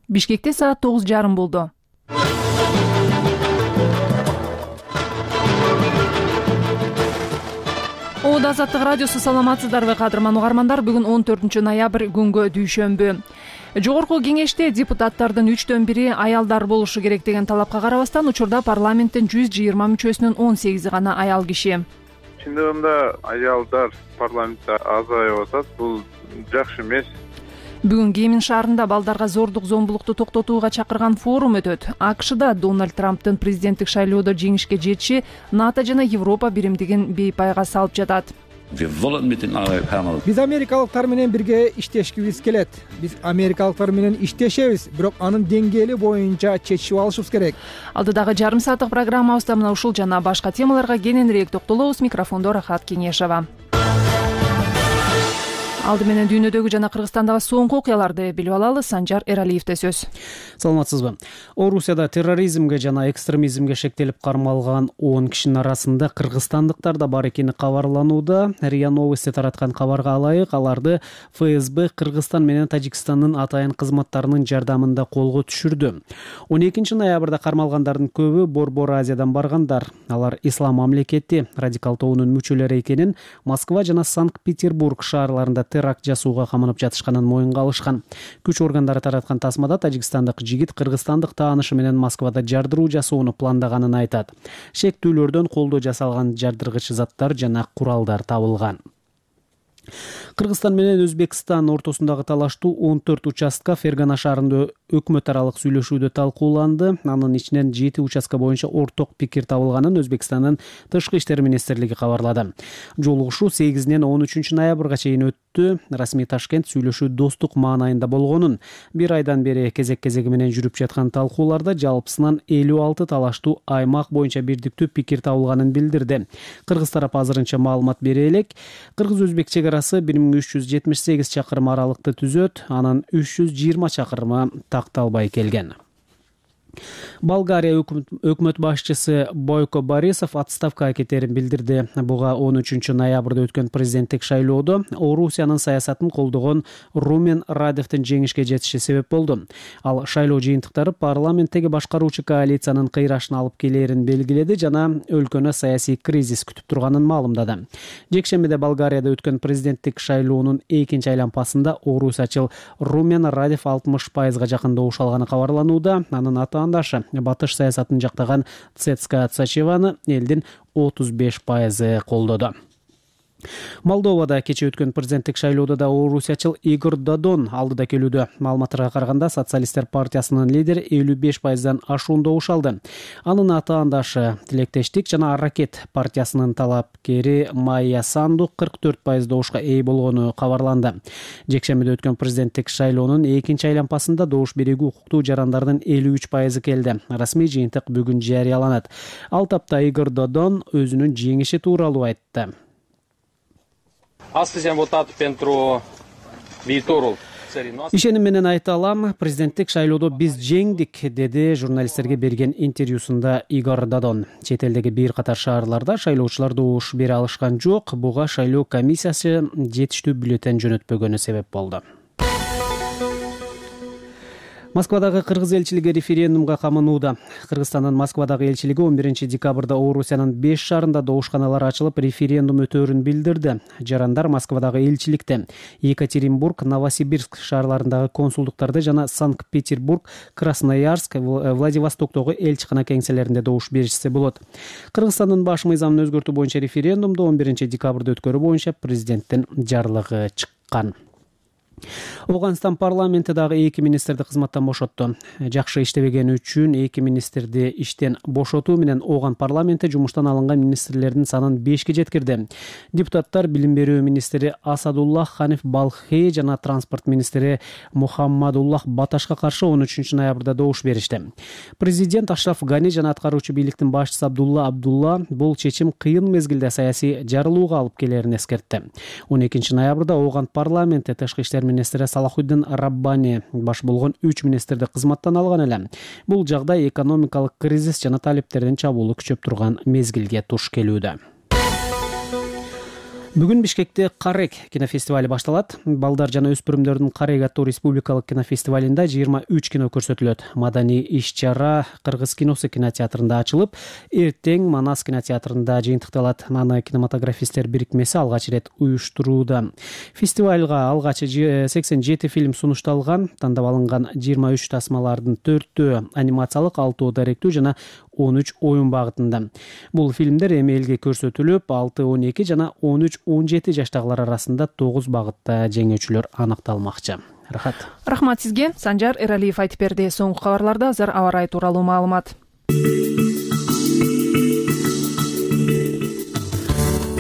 Бишкекте саат 9:30 болду. Ода Азаттык радиосу, саламатсыздарбы кадырман угармандар? Бүгүн 14 ноябрь күнгө дүйшөмбү. Жогорку кеңеште депутаттардын 3/1 аялдар болушу керек деген талапка карабастан учурда парламенттин 120 мүчөсүнүн 18 гана аял киши. Чындыгында аялдар парламентте азайып атат. Бул жакшы эмес. Бүгүн Кемин шаарында балдарга зордук зомбулукту токтотууга чакырган форум өтөт. AQShда Дональд Трамптын президенттик шайлоодо жеңишке жетиши НАТО жана Европа биримдигин бейпайга салып жатат. Биз америкалыктар менен бирге иштешкибиз келет. Биз америкалыктар менен иштешебиз, бирок анын деңгээли боюнча чечишип алышыбыз керек. Алдыдагы жарым сааттык программабызда мына ушул жана башка темаларга кененирээк токтолобуз. Микрофондо Рахат Кеңешова. Алды менен дүйнөдөгү жана Кыргызстандагы соңку окуяларды билип алалы. Санжар Эралиевде сөз. Саламатсызбы? Орусияда терроризмге жана экстремизмге шектелип кармалган 10 кишинин арасында кыргызстандыктар да бар экени кабарланууда. РИА Новости тараткан кабарга ылайык, аларды ФСБ Кыргызстан менен Тажикстандын атайын кызматтарынын жардамында колго түшүрдү. 12 ноябрда кармалгандардын көбү Борбор Азиядан баргандар. Алар Ислам мамлекети радикал тобунун мүчөлөрү экенин, Москва жана Санкт-Петербург шаарларында теракт жасууга каманып жатышканын моюнга алышкан. Күч органдары тараткан тасмада тажикстандык жигит кыргызстандык таанышы менен Москвада жардыруу жасоону пландаганын айтат. Шектүүлөрдөн колдо жасалган жардыргыч заттар жана куралдар табылган. Кыргызстан менен Өзбекстан ортосундагы талаштуу 14 участка Фергана шаарында өкмөт аралык сүйлөшүүдө талкууланды. Анын ичинен 7 участка боюнча орток пикир табылганын Өзбекстандын Тышкы иштер министрлиги кабарлады. Жолугушуу 8-ден 13 ноябрга чейин өттү. Расмий Ташкент сүйлөшүү достук маанайында болгонун, бир айдан бери кезек-кезеги менен жүрүп жаткан талкууларда жалпысынан 56 талаштуу аймак боюнча бирдиктүү пикир табылганын билдирди. Кыргыз тарап азырынча маалымат бере элек. Кыргыз-өзбек чегарасы 1378 чакырым аралыкты түзөт, анын 320 чакырымы такталбай келген. Болгария өкмөт башчысы Бойко Борисов отставкага кетерин билдирди. Буга 13 ноябрда өткөн президенттик шайлоодо Орусиянын саясатын колдогон Румен Радевдин жеңишке жетиши себеп болду. Ал шайлоо жыйынтыктары парламенттеги башкаруучу коалициянын кыйрашына алып келерин белгиледи жана өлкөнү саясий кризис күтүп турганын маалымдады. Жекшембиде Болгарияда өткөн президенттик шайлоонун экинчи айланпасында орусиячыл Румен Радев 60% жакын добуш алганы кабарланууда. Анын атаандашы батыш саясатын жактаган Цецка Цачеваны элдин 35% колдоду. Молдовада кече өткөн президенттик шайлоодо да орусиячыл Игорь Додон алдыда келүүдө. Маалыматтарга караганда Социалисттер партиясынын лидери 55%дан ашуун добуш алды. Анын атаандашы Тилектештик жана Аракет партиясынын талапкери Майя Санду 44% добушка ээ болгону кабарланды. Жекшембиде өткөн президенттик шайлоонун экинчи айланпасында добуш берүүгө укуктуу жарандардын 53% келди. Расмий жыйынтык бүгүн жарыяланат. Ал тапта Игорь Додон өзүнүн жеңиши тууралуу айтты. Ишеним менен айта алам, президенттик шайлоодо биз жеңдик, деди журналисттерге берген интервьюсунда Игорь Додон. Чет элдеги бир катар шаарларда шайлоочулар добуш бере алышкан жок. Буга шайлоо комиссиясы жетиштүү бюллетень жөнөтпөгөнү себеп болду. Москвадагы кыргыз элчилиги референдумга камынууда. Кыргызстандын Москвадагы элчилиги 11 декабрда Орусиянын 5 шаарында добушканалар ачылып, референдум өтөөрүн билдирди. Жарандар Москвадагы элчиликте, Екатеринбург, Новосибирск шаарларындагы консулдуктарды жана Санкт-Петербург, Красноярск, Владивостоктогу элчикана кеңселеринде добуш беришсе болот. Кыргызстандын баш мыйзамын өзгөртүү боюнча референдумду 11 декабрда өткөрүү боюнча президенттин жарлыгы чыккан. Ауганстан парламенти дагы 2 министрди кызматтан бошотту. Жакшы иштебегени үчүн 2 министрди иштен бошотуу менен Ауган парламенти жумуштан алынган министрлердин санын 5ке жеткирди. Депутаттар билим берүү министри Асадуллах Ханиф Балхи жана транспорт министри Мухаммадуллах Баташка каршы 13 ноябрда добуш беришти. Президент Ашраф Гани жана аткаруучу бийликтин башчысы Абдулла бул чечим кыйын мезгилде саясий жарылууга алып келерин эскертти. 12 ноябрда Ауган парламенти тышкы иштер министри Салахуддин Раббани баш болгон 3 министрди кызматтан алган эле. Бул жагдай экономикалык кризис жана талептердин чабуулу күчөп турган мезгилге туш келүүдө. Бүгүн Бишкекте Карек кинофестивали башталат. Балдар жана өспүрүмдөрдүн Карек аттуу республикалык кинофестивалында 23 кино көрсөтүлөт. Маданий иш-чара Кыргыз киносу кинотеатрында ачылып, эртең Манас кинотеатрында жыйынтыкталат. Аны кинематографисттер бирикмеси алгач ирет уюштурууда. Фестивалга алгач 87 фильм сунушталган. Тандап алынган 23 тасмалардын 4-төө анимациялык, 6 даректүү жана 13 оюн багытында. Бул фильмдер эми элге көрсөтүлүп, 6-12 жана 13-17 жаштагылар арасында 9 багытта жеңүүчүлөр аныкталмакчы. Рахмат сизге. Санжар Эралиев айтып берди. Соңку кабарларда азыр аба ырайы тууралуу маалымат.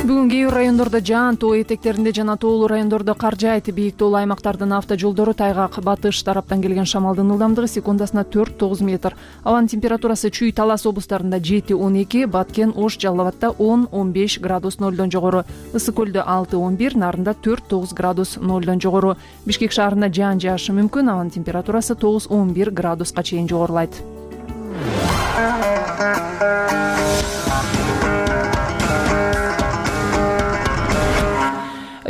Бүгүн кээ бир райондордо жаан, тоо этектеринде жана тоолуу райондордо кар жаайт. Бийик тоолуу аймактардын автожолдору тайгак. Батыш тараптан келген шамалдын ылдамдыгы секундасына 4-9 метр. Абанын температурасы Чүй, Талас облустарында 7-12, Баткен, Ош, Жалал Абадта 10-15 градус нолдон жогору, Ысык көлдө 6-11, Нарында 4-9 градус нолдон жогору. Бишкек шаарында жаан жаашы мүмкүн. Абанын температурасы 9-11 градуска чейин жогорулайт.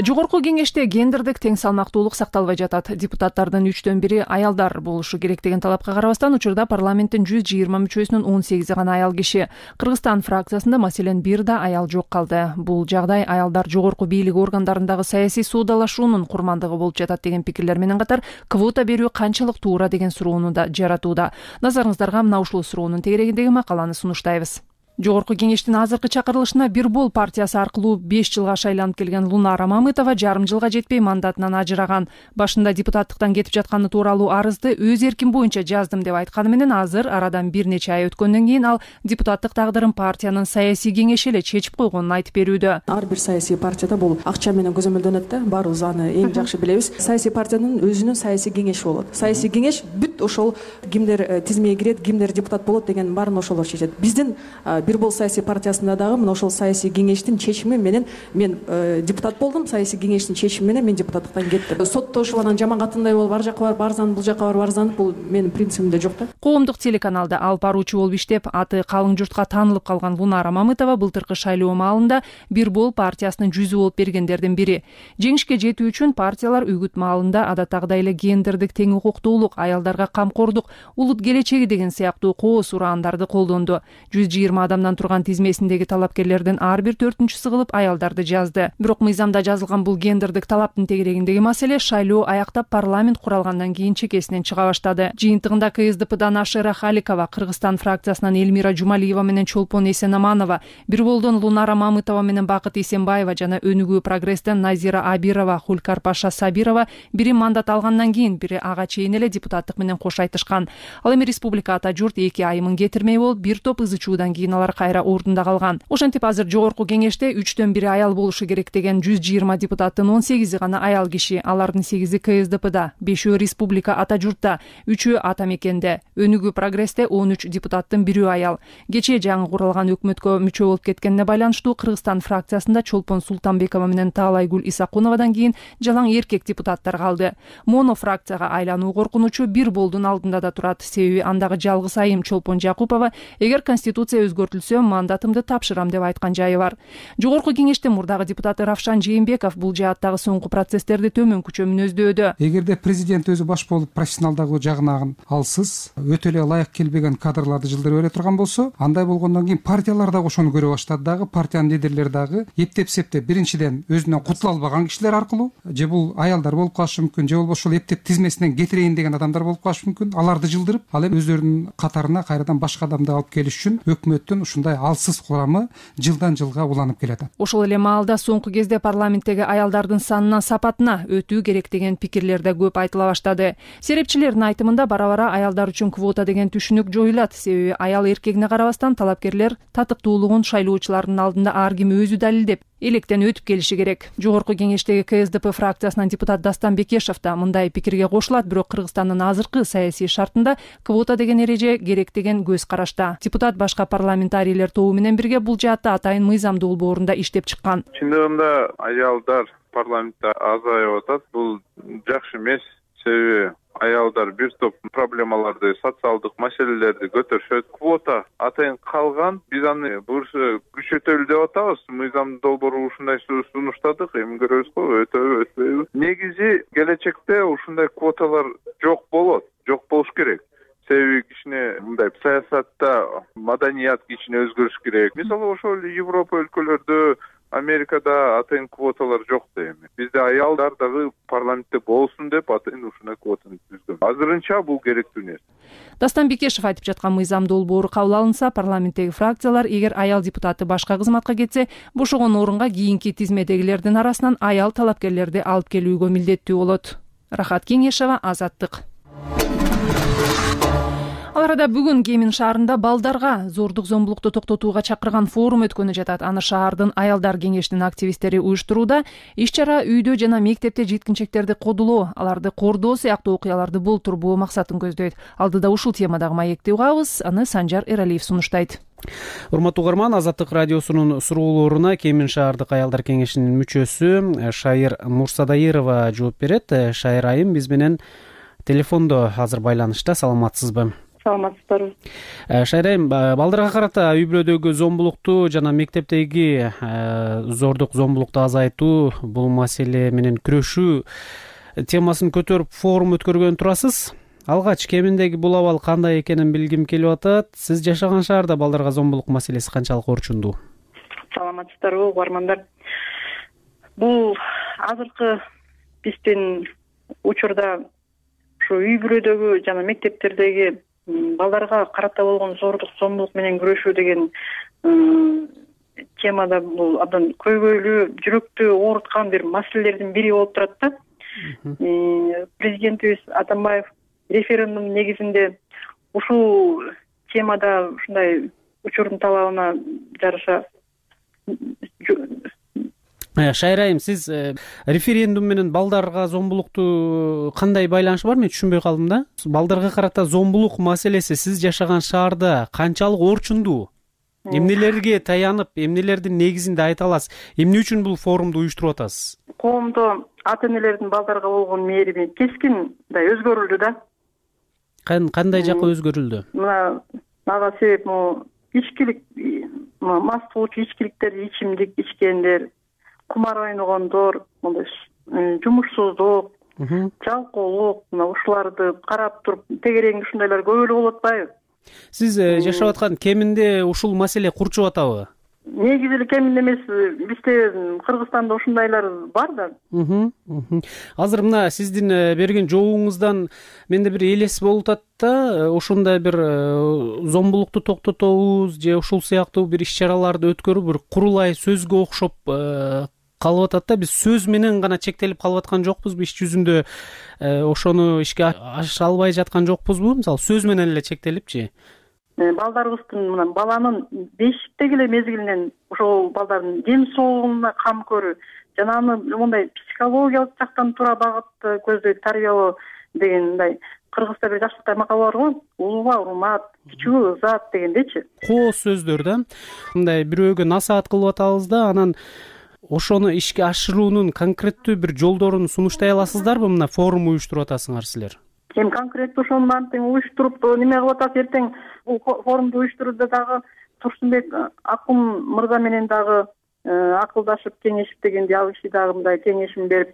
Жогорку кеңеште гендердик тең салмактуулук сакталбай жатат. Депутаттардын 3/1 аялдар болушу керек деген талапка карабастан учурда парламенттин 120 мүчөсүнүн 18 гана аял киши. Кыргызстан фракциясында маселен бир да аял жок калды. Бул жагдай аялдар жогорку бийлик органдарындагы саясий суудалашуунун курмандыгы болуп жатат деген пикирлер менен катар квота берүү канчалык туура деген суроону да жаратууда. Назарыңыздарга мына ушул суроонун тегерегиндеги макаланы сунуштайбыз. Жогорку кеңештин азыркы чакырылышына Бир бол партиясы аркылуу 5 жылга шайланып келген Лунара Мамытова жарым жылга жетпей мандатынан ажыраган. Башында депутаттыктан кетип жатканы тууралуу арызды өз эрким боюнча жаздым деп айтканы менен азыр арадан бир нече ай өткөндөн кийин ал депутаттык тагдырын партиянын саясий кеңеши эле чечип койгонун айтып берүүдө. Ар бир саясий партияда бул акча менен көзөмөлдөнөт да, баарыбыз аны эң жакшы билебиз. Саясий партиянын өзүнүн саясий кеңеши болот. Саясий кеңеш бүт ошол кимдер тизмеге кирет, кимдер депутат болот деген баарын ошолор чечет. Биздин Бир бол саясий партиясында дагы мына ошол саясий кеңештин чечими менен мен депутат болдум, саясий кеңештин чечими менен мен депутаттыктан кеттим. Соттошуп анан жаман катындай болуп ар жакка барып арзанып, бул жакка барып арзанып, бул менин принцибимде жок да. Коомдук телеканалда алып баруучу болуп иштеп, аты калың журтка таанылып калган Лунара Мамытова былтыркы шайлоо маалында Бир бол партиясынын жүзү болуп бергендердин бири. Жеңишке жетүү үчүн партиялар үгүт маалында адаттагыдай эле гендердик тең укуктуулук, аялдарга камкордук, улут келечеги деген сыяктуу кооз ураандарды колдонду. 120 адамдан турган тизмесиндеги талапкерлердин ар бир 4-чүсү кылып аялдарды жазды. Бирок мыйзамда жазылган бул гендердик талаптын тегерегиндеги маселе шайлоо аяктап парламент куралгандан кийин чекесинен чыга баштады. Жыйынтыгында КСДПдан Ашера Халикова, Кыргызстан фракциясынан Элмира Жумалиева менен Чолпон Эсенаманова, Бир болдон Лунара Мамытова менен Бакыт Эсенбаева жана Өнүгүү прогресстен Назира Абирова, Хулкар Паша Сабирова бири мандат алгандан кийин бири ага чейин эле депутаттык менен кош айтышкан. Ал эми республика ата журт 2 айымын кетирмей болуп, бир топ ызычуудан кийин алар кайра ордунда калган. Ошентип азыр жогорку кеңеште 3/1 аял болушу керек деген 120 депутаттын 18 гана аял киши. Алардын 8-и КСДПда, 5-өө республика ата журтта, 3-өө ата мекенде. Өнүгүү прогрессте 13 депутаттын 1-өө аял. Кечээ жаңы куралган өкмөткө мүчө болуп кеткенине байланыштуу Кыргызстан фракциясында Чолпон Султанбекова менен Таалайгүл Исакуновадан кийин жалаң эркек депутаттар калды. Моно фракцияга айлануу коркунучу Бир болдун алдында да турат. Себеби андагы жалгыз айым Чолпон Жакупова эгер конституция өзгөртүлсө мандатымды тапшырам деп айткан жайы бар. Жогорку кеңештин мурдагы депутаты Равшан Жээнбеков бул жааттагы соңку процесстерди төмөнкүчө мүнөздөөдө. Эгерде президент өзү баш болуп профессионалдагы жагынан алсыз, өтө эле ылайык келбеген кадрларды жылдырып бере турган болсо, андай болгондон кийин партиялар дагы ошону көрө баштады дагы, партиянын лидерлери дагы эптеп-септеп биринчиден өзүнөн кутула албаган кишилер аркылуу, же бул аялдар болуп калышы мүмкүн, же болбосо ошол эптеп тизмесинен кетирейин деген адамдар болуп калышы мүмкүн. Аларды жылдырып, ал эми өздөрүнүн катарына кайрадан башка адамды алып келиш үчүн өкмөттүн ушундай алсыз курамы жылдан жылга уланып келатат. Ошол эле маалда соңку кезде парламенттеги аялдардын санына, сапатына өтүү керек деген пикирлер да көп айтыла баштады. Серепчилердин айтымында бара-бара аялдар үчүн квота деген түшүнүк жоюлат. Себеби аял эркегине карабастан талапкерлер татыктуулугун шайлоочулардын алдында ар ким өзү далилдеп электен өтүп келиши керек. Жогорку кеңештеги КСДП фракциясынан депутат Дастан Бекешев да мындай пикирге кошулат, бирок Кыргызстандын азыркы саясий шартында квота деген эреже керек деген көз карашта. Депутат башка парламентарийлер тобу менен бирге бул жаатта атайын мыйзамдуу долбоорунда иштеп чыккан. Чындыгында аялдар парламентте азайып атат. Бул жакшы эмес. себеби аялдар бир топ проблемаларды, социалдык маселелерди көтөрүшөт. Квота атайын калган. Биз аны буюрса күчөтөлү деп атабыз. Мыйзам долбоору ушундай сунуштадык. Эми көрөбүз го, өтөбү, өтпөйбү. Негизи келечекте ушундай квоталар жок болот. Жок болуш керек. Себеби кичине мындай саясатта маданият кичине өзгөрүш керек. Мисалы ошол Европа өлкөлөрдө, Америкада атайын квоталар жок да эми. Бизде аялдар дагы парламентте болсун деп атайын ушундай квотаны түзгөн. Азырынча бул керектүү нерсе. Дастан Бекешев айтып жаткан мыйзам долбоору кабыл алынса, парламенттеги фракциялар эгер аял депутаты башка кызматка кетсе, бошогон орунга кийинки тизмедегилердин арасынан аял талапкерлерди алып келүүгө милдеттүү болот. Рахат Кеңешева, Азаттык. Ал арада бүгүн Кемин шаарында балдарга зордук зомбулукту токтотууга чакырган форум өткөнү жатат. Аны шаардын аялдар кеңешинин активисттери уюштурууда. Иш-чара үйдө жана мектепте жеткинчектерди кодулоо, аларды кордоо сыяктуу окуяларды болтурбоо максатын көздөйт. Алдыда ушул темадагы маекти угабыз, аны Санжар Эралиев сунуштайт. Урматтуу угарман, Азаттык радиосунун суроолоруна Кемин шаардык аялдар кеңешинин мүчөсү Шайыр Мурсадайырова жооп берет. Шайыр айым биз менен телефондо азыр байланышта. Саламатсызбы? Саламатсыздарбы. Шайыр айым, балдарга карата үй бүлөдөгү зомбулукту жана мектептеги зордук зомбулукту азайтуу, бул маселе менен күрөшүү темасын көтөрүп форум өткөргөн турасыз. Алгач Кеминдеги бул абал кандай экенин билгим келип атат. Сиз жашаган шаарда балдарга зомбулук маселеси канчалык орчундуу? Саламатсыздарбы, угармандар. Бул азыркы биздин учурда ушу үй бүлөдөгү жана мектептердеги балдарга карата болгон зордук зомбулук менен күрөшүү деген темада бул абдан көйгөйлүү, жүрөктү ооруткан бир маселелердин бири болуп турат да. Президентибиз Атамбаев референдум негизинде ушул темада ушундай учурдун талабына жараша. Шайыр айым, сиз референдум менен балдарга зомбулукту кандай байланышы бар? Мен түшүнбөй калдым да. Балдарга карата зомбулук маселеси сиз жашаган шаарда канчалык орчундуу? Эмнелерге таянып, эмнелердин негизинде айта аласыз? Эмне үчүн бул форумду уюштуруп атасыз? Коомдо ата-энелердин балдарга болгон мээрими кескин өзгөрүлдү да. Кандай жакка өзгөрүлдү? Мага себеп ичкилик, мас кылуучу ичкиликтерди ичимдик ичкендер, кумар ойногондор, жумушсуздук, жалкоолук, ушуларды карап туруп тегереңде ушундайлар көп эле болуп атпайбы? Сиз жашап аткан Кеминде ушул маселе курчуп атабы? Негизи эле Кеминде эмес, бизде Кыргызстанда ушундайлар бар да. Азыр мына сиздин берген жообуңуздан менде бир элес болуп атат да, ошондой бир зомбулукту токтотобуз же ушул сыяктуу бир иш-чараларды өткөрүп бир курулай сөзгө окшоп калып атат да. Биз сөз менен гана чектелип калып аткан жокпузбу? Иш жүзүндө ошону ишке аша албай жаткан жокпузбу? Мисалы сөз менен эле чектелипчи? Балдарыбыздын мына баланын бешиктеги эле мезгилинен ошол балдардын ден соолугуна кам көрүү жана аны мондай психологиялык жактан туура багытты көздөйт тарбиялоо деген мындай кыргызча бир жакшылыктай макал бар го, улууга урмат, кичүүгө ызат дегендечи. Кооз сөздөр да. Мындай бирөөгө насаат кылып атабыз да, анан ошону ишке ашыруунун конкреттүү бир жолдорун сунуштай аласыздарбы? Мына форум уюштуруп атасыңар силер. Эми конкреттүү ошону антиң уюштуруп неме кылып атат, эртең бул форумду уюштурууда дагы Турсунбек Акун мырза менен дагы акылдашып, кеңешип дегенде ал киши дагы мындай кеңешин берип,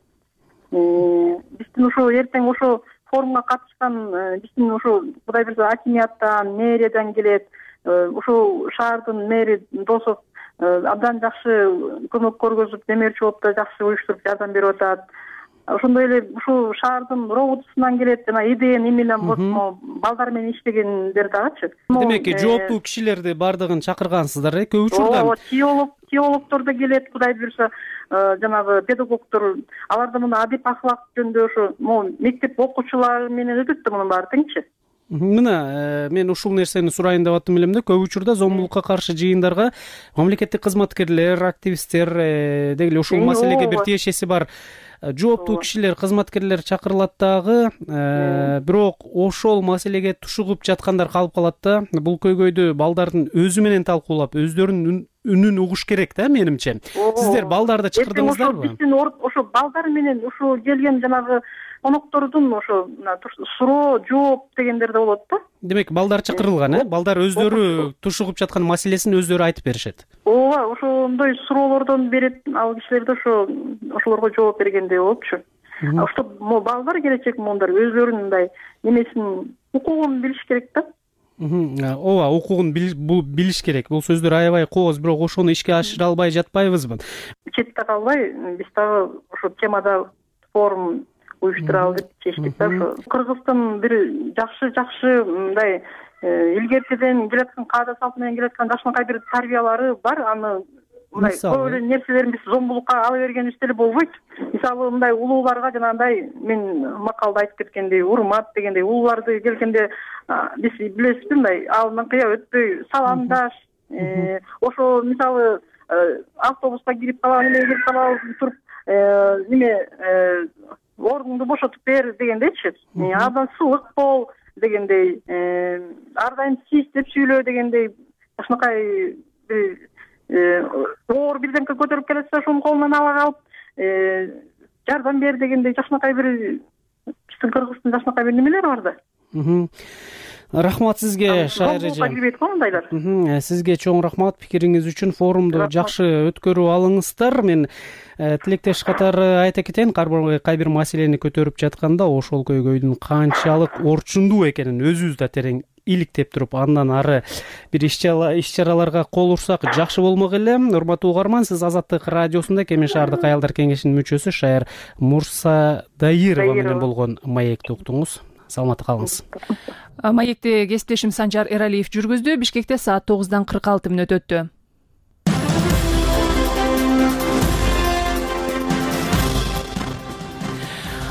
биздин ошо эртең ошо форумга катышкан биздин ошо Кудай буйрса акимияттан, мэриядан келет, ошол шаардын мэри Досов абдан жакшы көмөк көргөзүп, демерчи болуп да жакшы уюштуруп жардам берип атат. Ошондой эле ушул шаардын роботусунан келет, жана идеяны менен балдар менен иштегендер дагычы. Демек, жооптуу кишилерди бардыгын чакыргансыздар, көп учурда. Теологдор да келет, Кудай буйрса, жанагы педагогдор, алар да мына адеп ахлак жөнүндө ошо мектеп окуучулары менен өтөт да мунун баары теңчи. Мына мен ушул нерсени сурайын деп аттым элем да. Көп учурда зомбулукка каршы жыйындарга мамлекеттик кызматкерлер, активисттер деги эле ушул маселеге бир тиешеси бар жооптуу кишилер, кызматкерлер чакырылат дагы, бирок ошол маселеге тушугуп жаткандар калып калат да. Бул көйгөйдү балдардын өзү менен талкуулап, өздөрүнүн үнүн угуш керек да, менимче. Сиздер балдарды чакырдыңыздарбы? Биздин ошо балдар менен ушул келген жанагы коноктордун ошо суроо жооп дегендер да болот да. Демек балдар чакырылган, балдар өздөрү тушугуп жаткан маселесин өздөрү айтып беришет. ооба, ошондой суроолордон берет ал кишилер да ошолорго жооп бергендей болупчу. Ошто балдар келечек моундар өздөрүнүн мындай немесин укугун билиш керек да. Ооба, укугун билиш керек. Бул сөздөр аябай кооз, бирок ошону ишке ашыра албай жатпайбызбы? Четте калбай биз дагы ошо темада форум уюштуралы деп чечтик да. Ошо Кыргыздын бир жакшы мындай илгертеден келаткан каада салт менен келаткан жакшынакай бир тарбиялары бар. Аны мындай көп эле нерселерин биз зомбулукка ала бергенибиз деле болбойт. Мисалы мындай улууларга жанагындай мен макалда айтып кеткендей урмат дегендей улууларды келгенде биз билесизби мындай алдынан кыя өтпөй саламдаш, ошо мисалы автобуска кирип калабыз туруп ордуңду бошотуп бер дегендейчи, абдан сылык бол дегендей, ар дайым сиз деп сүйлөө дегендей жакшынакай оор бирдемке көтөрүп келатса ошонун колунан ала калып жардам бер дегендей жакшынакай бир биздин Кыргыздын жакшынакай бир немелери бар да. Рахмат сизге, Шайыр эже. Сизге чоң рахмат пикириңиз үчүн. Форумду жакшы өткөрүп алыңыздар. Мен тилектеш катары айта кетейин, кай бир маселени көтөрүп жатканда ошол көйгөйдүн канчалык орчундуу экенин өзүбүз да терең иликтеп туруп, андан ары бир иш-чараларга кол урсак жакшы болмок эле. Урматтуу угарман, сиз Азаттык радиосунда Кемен шаардык аялдар кеңешинин мүчөсү Шайыр Мурсадайырова менен болгон маекти уктуңуз. Саламатта калыңыз. Маекти кесиптешим Санжар Эралиев жүргүздү. Бишкекте саат 9:46 өттү.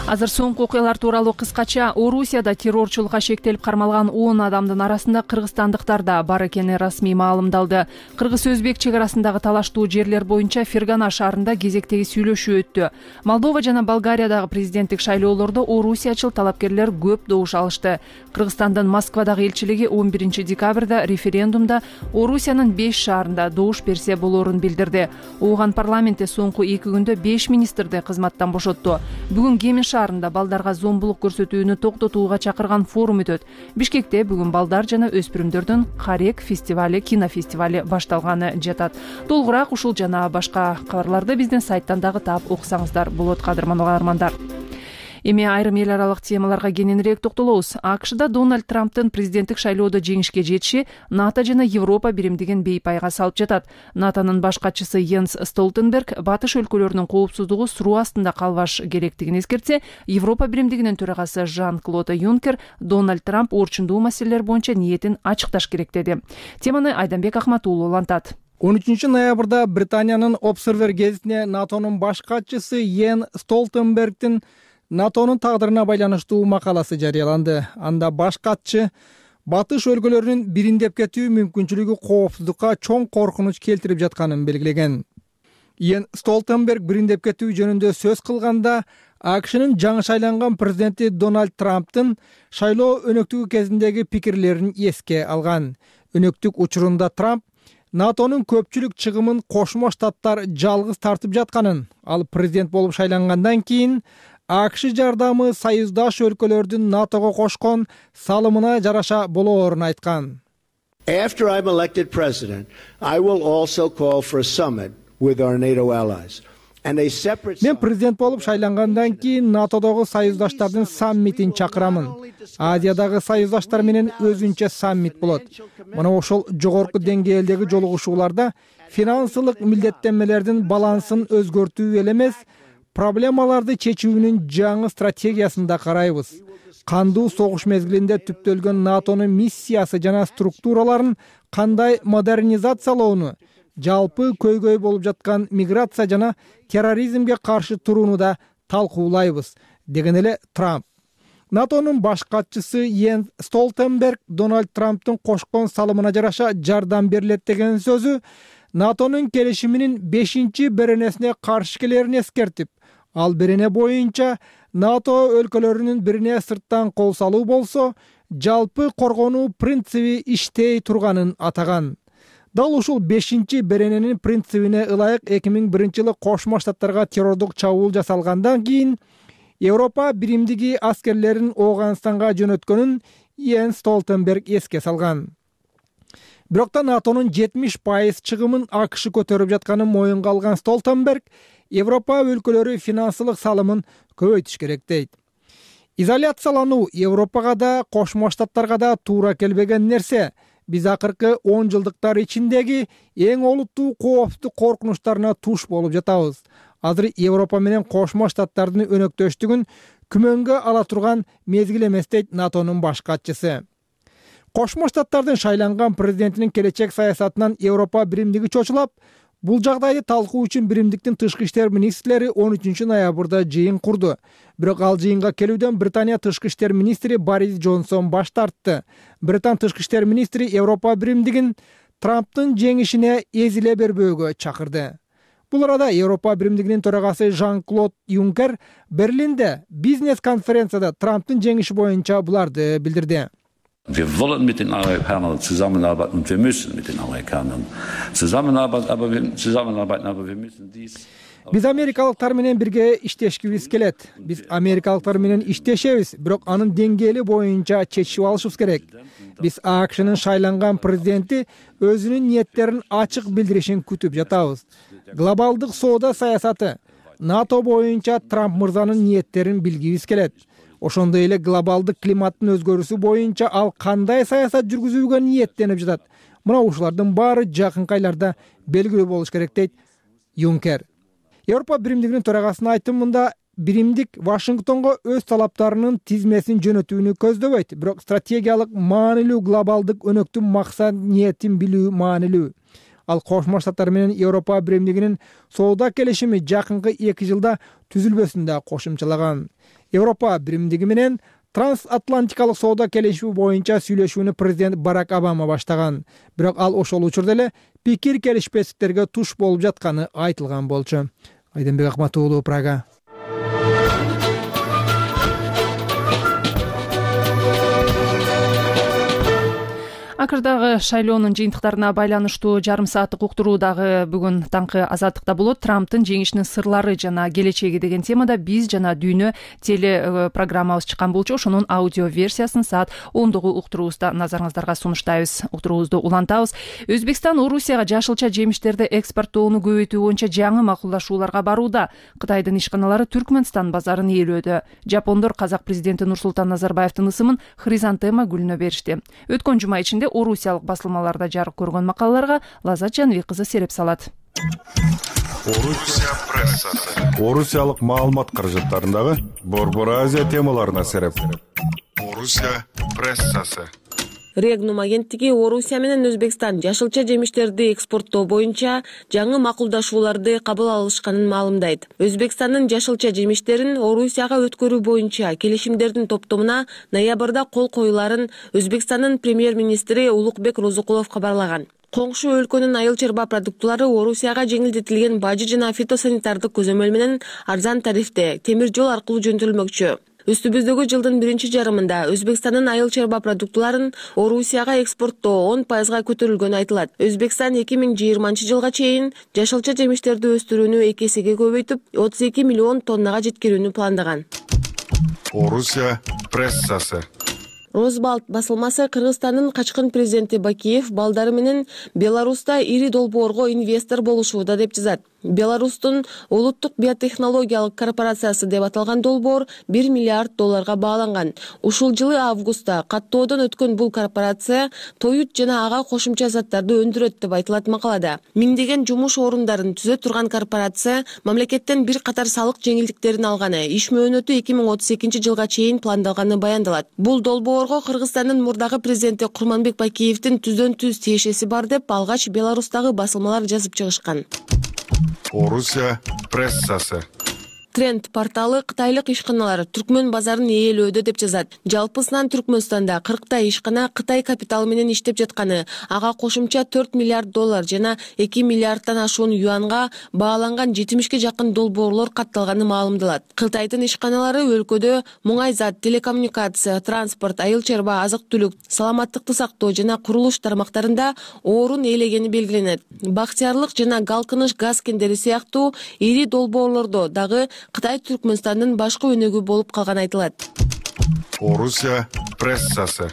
Азыр соңку окуялар тууралуу кыскача. Орусияда террорчулукка шектелип кармалган 10 адамдын арасында кыргызстандыктар да бар экени расмий маалымдалды. Кыргыз-өзбек чек арасындагы талаштуу жерлер боюнча Фергана шаарында кезектеги сүйлөшүү өттү. Молдова жана Болгариядагы президенттик шайлоолордо орусиячыл талапкерлер көп добуш алышты. Кыргызстандын Москвадагы элчилиги 11 декабрда референдумда Орусиянын 5 шаарында добуш берсе болоорун билдирди. Ооган парламентте соңку 2 күндө 5 министрди кызматтан бошотту. Бүгүн Кемен шаарында балдарга зомбулук көрсөтүүнү токтотууга чакырган форум өтөт. Бишкекте бүгүн балдар жана өспүрүмдөрдүн Карек фестивали, кинофестивали башталганы жатат. Толугураак ушул жана башка кабарларды биздин сайттан дагы таап окусаңыздар болот, кадырман угармандар. Эми айрым эл аралык темаларга кененирээк токтолобуз. АКШда Дональд Трамптын президенттик шайлоодо жеңишке жетиши НАТО жана Европа биримдигин бейпайга салып жатат. НАТОнун баш катчысы Йенс Столтенберг батыш өлкөлөрүнүн коопсуздугу суроо астында калбаш керектигин эскертсе, Европа биримдигинин төрагасы Жан-Клод Юнкер Дональд Трамп орчундуу маселелер боюнча ниетин ачыкташ керек деди. Теманы Айданбек Ахматуулу улантат. 13 ноябрда Британиянын Observer гезитине НАТОнун баш катчысы Йен Столтенбергдин НАТОнун тагдырына байланыштуу макаласы жарыяланды. Анда баш катчы батыш өлкөлөрүнүн бириндеп кетүү мүмкүнчүлүгү коопсуздукка чоң коркунуч келтирип жатканын белгилеген. Йен Столтенберг бириндеп кетүү жөнүндө сөз кылганда АКШнын жаңы шайланган президенти Дональд Трамптын шайлоо өнөктүгү кезиндеги пикирлерин эске алган. Өнөктүк учурунда Трамп НАТОнун көпчүлүк чыгымын Кошмо Штаттар жалгыз тартып жатканын, ал президент болуп шайлангандан кийин АКШ жардамы союздаш өлкөлөрдүн НАТОго кошкон салымына жараша болоорун айткан. After I'm elected president, I will also call for a summit with our NATO allies. Мен президент болуп шайлангандан кийин НАТОдогу союздаштардын саммитин чакырамын. Азиядагы союздаштар менен өзүнчө саммит болот. Мына ошол жогорку деңгээлдеги жолугушууларда финансылык милдеттенмелердин балансын өзгөртүү эле эмес, проблемаларды чечүүнүн жаңы стратегиясында карайбыз. Кандуу согуш мезгилинде түптөлгөн НАТОнун миссиясы жана структураларын кандай модернизациялоону, жалпы көйгөй болуп жаткан миграция жана терроризмге каршы турууну да талкуулайбыз, деген эле Трамп. НАТОнун баш катчысы Йен Столтенберг Дональд Трамптын кошкон салымына жараша жардам берилет деген сөзү НАТОнун келишиминин 5-беренесине каршы келерин эскертип, ал берене боюнча НАТО өлкөлөрүнүн бирине сырттан кол салуу болсо, жалпы коргонуу принциби иштей турганын атаган. Дал ушул 5-берененин принцибине ылайык 2001-жылы Кошмо Штаттарга террордук чабуул жасалгандан кийин Европа биримдиги аскерлерин Ооганстанга жөнөткөнүн Йенс Столтенберг эске салган. Бирок да НАТОнун 70% чыгымын АКШ көтөрүп жатканын моюнга алган Столтенберг Европа өлкөлөрү финансылык салымын көбөйтүш керек дейт. Изоляциялануу Европага да, Кошмо Штаттарга да туура келбеген нерсе. Биз акыркы 10 жылдыктар ичиндеги эң олуттуу кооптуу коркунучтарына туш болуп жатабыз. Азыр Европа менен Кошмо Штаттардын өнөктөштүгүн күмөнгө ала турган мезгил эмес дейт НАТОнун баш катчысы. Кошмо Штаттардын шайланган президентинин келечек саясатынан Европа биримдиги чочулап, бул жагдайды талкуу үчүн биримдиктин тышкы иштер министрлери 13 ноябрда жыйын курду. Бирок ал жыйынга келүүдөн Британия тышкы иштер министри Борис Джонсон баш тартты. Британ тышкы иштер министри Европа биримдигин Трамптын жеңишине эзиле бербөөгө чакырды. Бул арада Европа биримдигинин төрагасы Жан-Клод Юнкер Берлинде бизнес-конференцияда Трамптын жеңиши боюнча буларды билдирди. Wir wollen mit den Amerikanern zusammenarbeiten und wir müssen mit den Amerikanern zusammenarbeiten, aber wir müssen dies. Биз америкалыктар менен бирге иштешкибиз келет. Биз америкалыктар менен иштешебиз, бирок анын деңгээли боюнча чечип алышыбыз керек. Биз АКШнын шайланган президенти өзүнүн ниеттерин ачык билдиришин күтүп жатабыз. Глобалдык соода саясаты НАТО боюнча Трамп мырзанын ниеттерин билгибиз келет. Ошондой эле глобалдык климаттын өзгөрүүсү боюнча ал кандай саясат жүргүзүүгө ниеттенип жатат. Мына ушулардын баары жакынкы айларда белгилүү болуш керек дейт Юнкер. Европа биримдигинин төрагасынын айтымында биримдик Вашингтонго өз талаптарынын тизмесин жөнөтүүнү көздөбөйт, бирок стратегиялык маанилүү глобалдык өнөктүн максат ниетин билүү маанилүү. Ал Кошмо Штаттар менен Европа биримдигинин соода келишими жакынкы 2 жылда түзүлбөсүн да кошумчалаган. Европа биримдиги менен трансатлантикалык соода келишими боюнча сүйлөшүүнү президент Барак Обама баштаган. Бирок ал ошол учурда эле пикир келишпестиктерге туш болуп жатканы айтылган болчу. Айденбек Акмат уулу, Прага. Акырдагы шайлоонун жыйынтыктарына байланыштуу жарым сааттык уктуруу дагы бүгүн таңкы Азаттыкта болот. Трамптын жеңишинин сырлары жана келечеги деген темада биз жана дүйнө теле программабыз чыккан болчу. Ошонун аудио версиясын саат 10-догу уктуруубузда назарыңыздарга сунуштайбыз. Уктуруубузду улантабыз. Өзбекстан Орусияга жашылча жемиштерди экспорттоону көбөйтүү боюнча жаңы макулдашууларга барууда. Кытайдын ишканалары Түркмөнстан базарын ээлөөдө. Жапондор казак президенти Нурсултан Назарбаевдин ысымын хризантема гүлүнө беришти. Өткөн жума ичинде орусиялык басылмаларда жарык көргөн макалаларга Лазат Жаныбек кызы сереп салат. Орусия прессасы. Орусиялык маалымат каражаттарындагы Борбор Азия темаларына сереп. Орусия прессасы. Регнум агенттиги Орусия менен Өзбекстан жашылча жемиштерди экспорттоо боюнча жаңы макулдашууларды кабыл алышканын маалымдайт. Өзбекстандын жашылча жемиштерин Орусияга өткөрүү боюнча келишимдердин топтомуна ноябрда кол коюларын Өзбекстандын премьер-министри Улукбек Розукулов кабарлаган. Коңшу өлкөнүн айыл чарба продуктулары Орусияга жеңилдетилген бажы жана фитосанитардык көзөмөл менен арзан тарифте темир жол аркылуу жөнөтүлмөкчү. Үстүбүздөгү жылдын 1-жарымында Өзбекстандын айыл чарба продуктуларын Орусияга экспорттоо 10% көтөрүлгөнү айтылат. Өзбекстан 2020-жылга чейин жашылча жемиштерди өстүрүүнү 2 эсеге көбөйтүп, 32 миллион тоннага жеткирүүнү пландаган. Орусия прессасы. Розбалт басылмасы Кыргызстандын качкын президенти Бакиев балдары менен Беларуста ири долбоорго инвестор болушууда деп жазат. Беларустун улуттук биотехнологиялык корпорациясы деп аталган долбоор $1 миллиард бааланган. Ушул жылы августта каттоодон өткөн бул корпорация тоют жана ага кошумча заттарды өндүрөт деп айтылат макалада. Миңдеген жумуш орундарын түзө турган корпорация мамлекеттен бир катар салык жеңилдиктерин алганы, иш мөөнөтү 2032-жылга чейин пландалганы баяндалат. Бул долбоорго Кыргызстандын мурдагы президенти Курманбек Бакиевдин түздөн-түз тиешеси бар деп алгач Беларустагы басылмалар жазып чыгышкан. Орусия прессасы. Тренд порталы кытайлык ишканалар Түркмөн базарын ээлөөдө деп жазат. Жалпысынан Түркмөнстанда 40 ишкана Кытай капиталы менен иштеп жатканы, ага кошумча $4 миллиард жана 2 миллиардтан ашуун юанга бааланган 70-ке жакын долбоорлор катталганы маалымдалат. Кытайдын ишканалары өлкөдө муңай зат, телекоммуникация, транспорт, айыл чарба, азык-түлүк, саламаттыкты сактоо жана курулуш тармактарында орун ээлегени белгиленет. Бактыярлык жана Галкыныш газ кендери сыяктуу ири долбоорлордо дагы Кытай Түркмөнстандын башкы өнөгү болуп калганы айтылат. Орусия прессасы.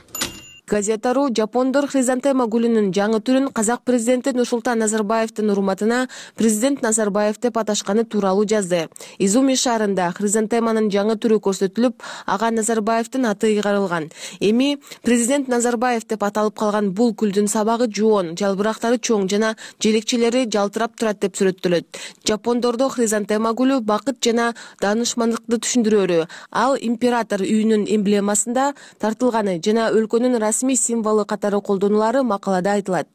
Газета.ру жапондор хризантема гүлүнүн жаңы түрүн казак президенти Нурсултан Назарбаевдин урматына президент Назарбаев деп аташканы тууралуу жазды. Изуми шаарында хризантеманын жаңы түрү көрсөтүлүп, ага Назарбаевдин аты ыйгарылган. Эми президент Назарбаев деп аталып калган бул гүлдүн сабагы жоон, жалбырактары чоң жана желекчелери жалтырап турат деп сүрөттөлөт. Жапондордо хризантема гүлү бакыт жана даанышмандыкты түшүндүрөөрү. Ал император үйүнүн эмблемасында тартылганы жана өлкөнүн расмий символу катары колдонулары макалада айтылат.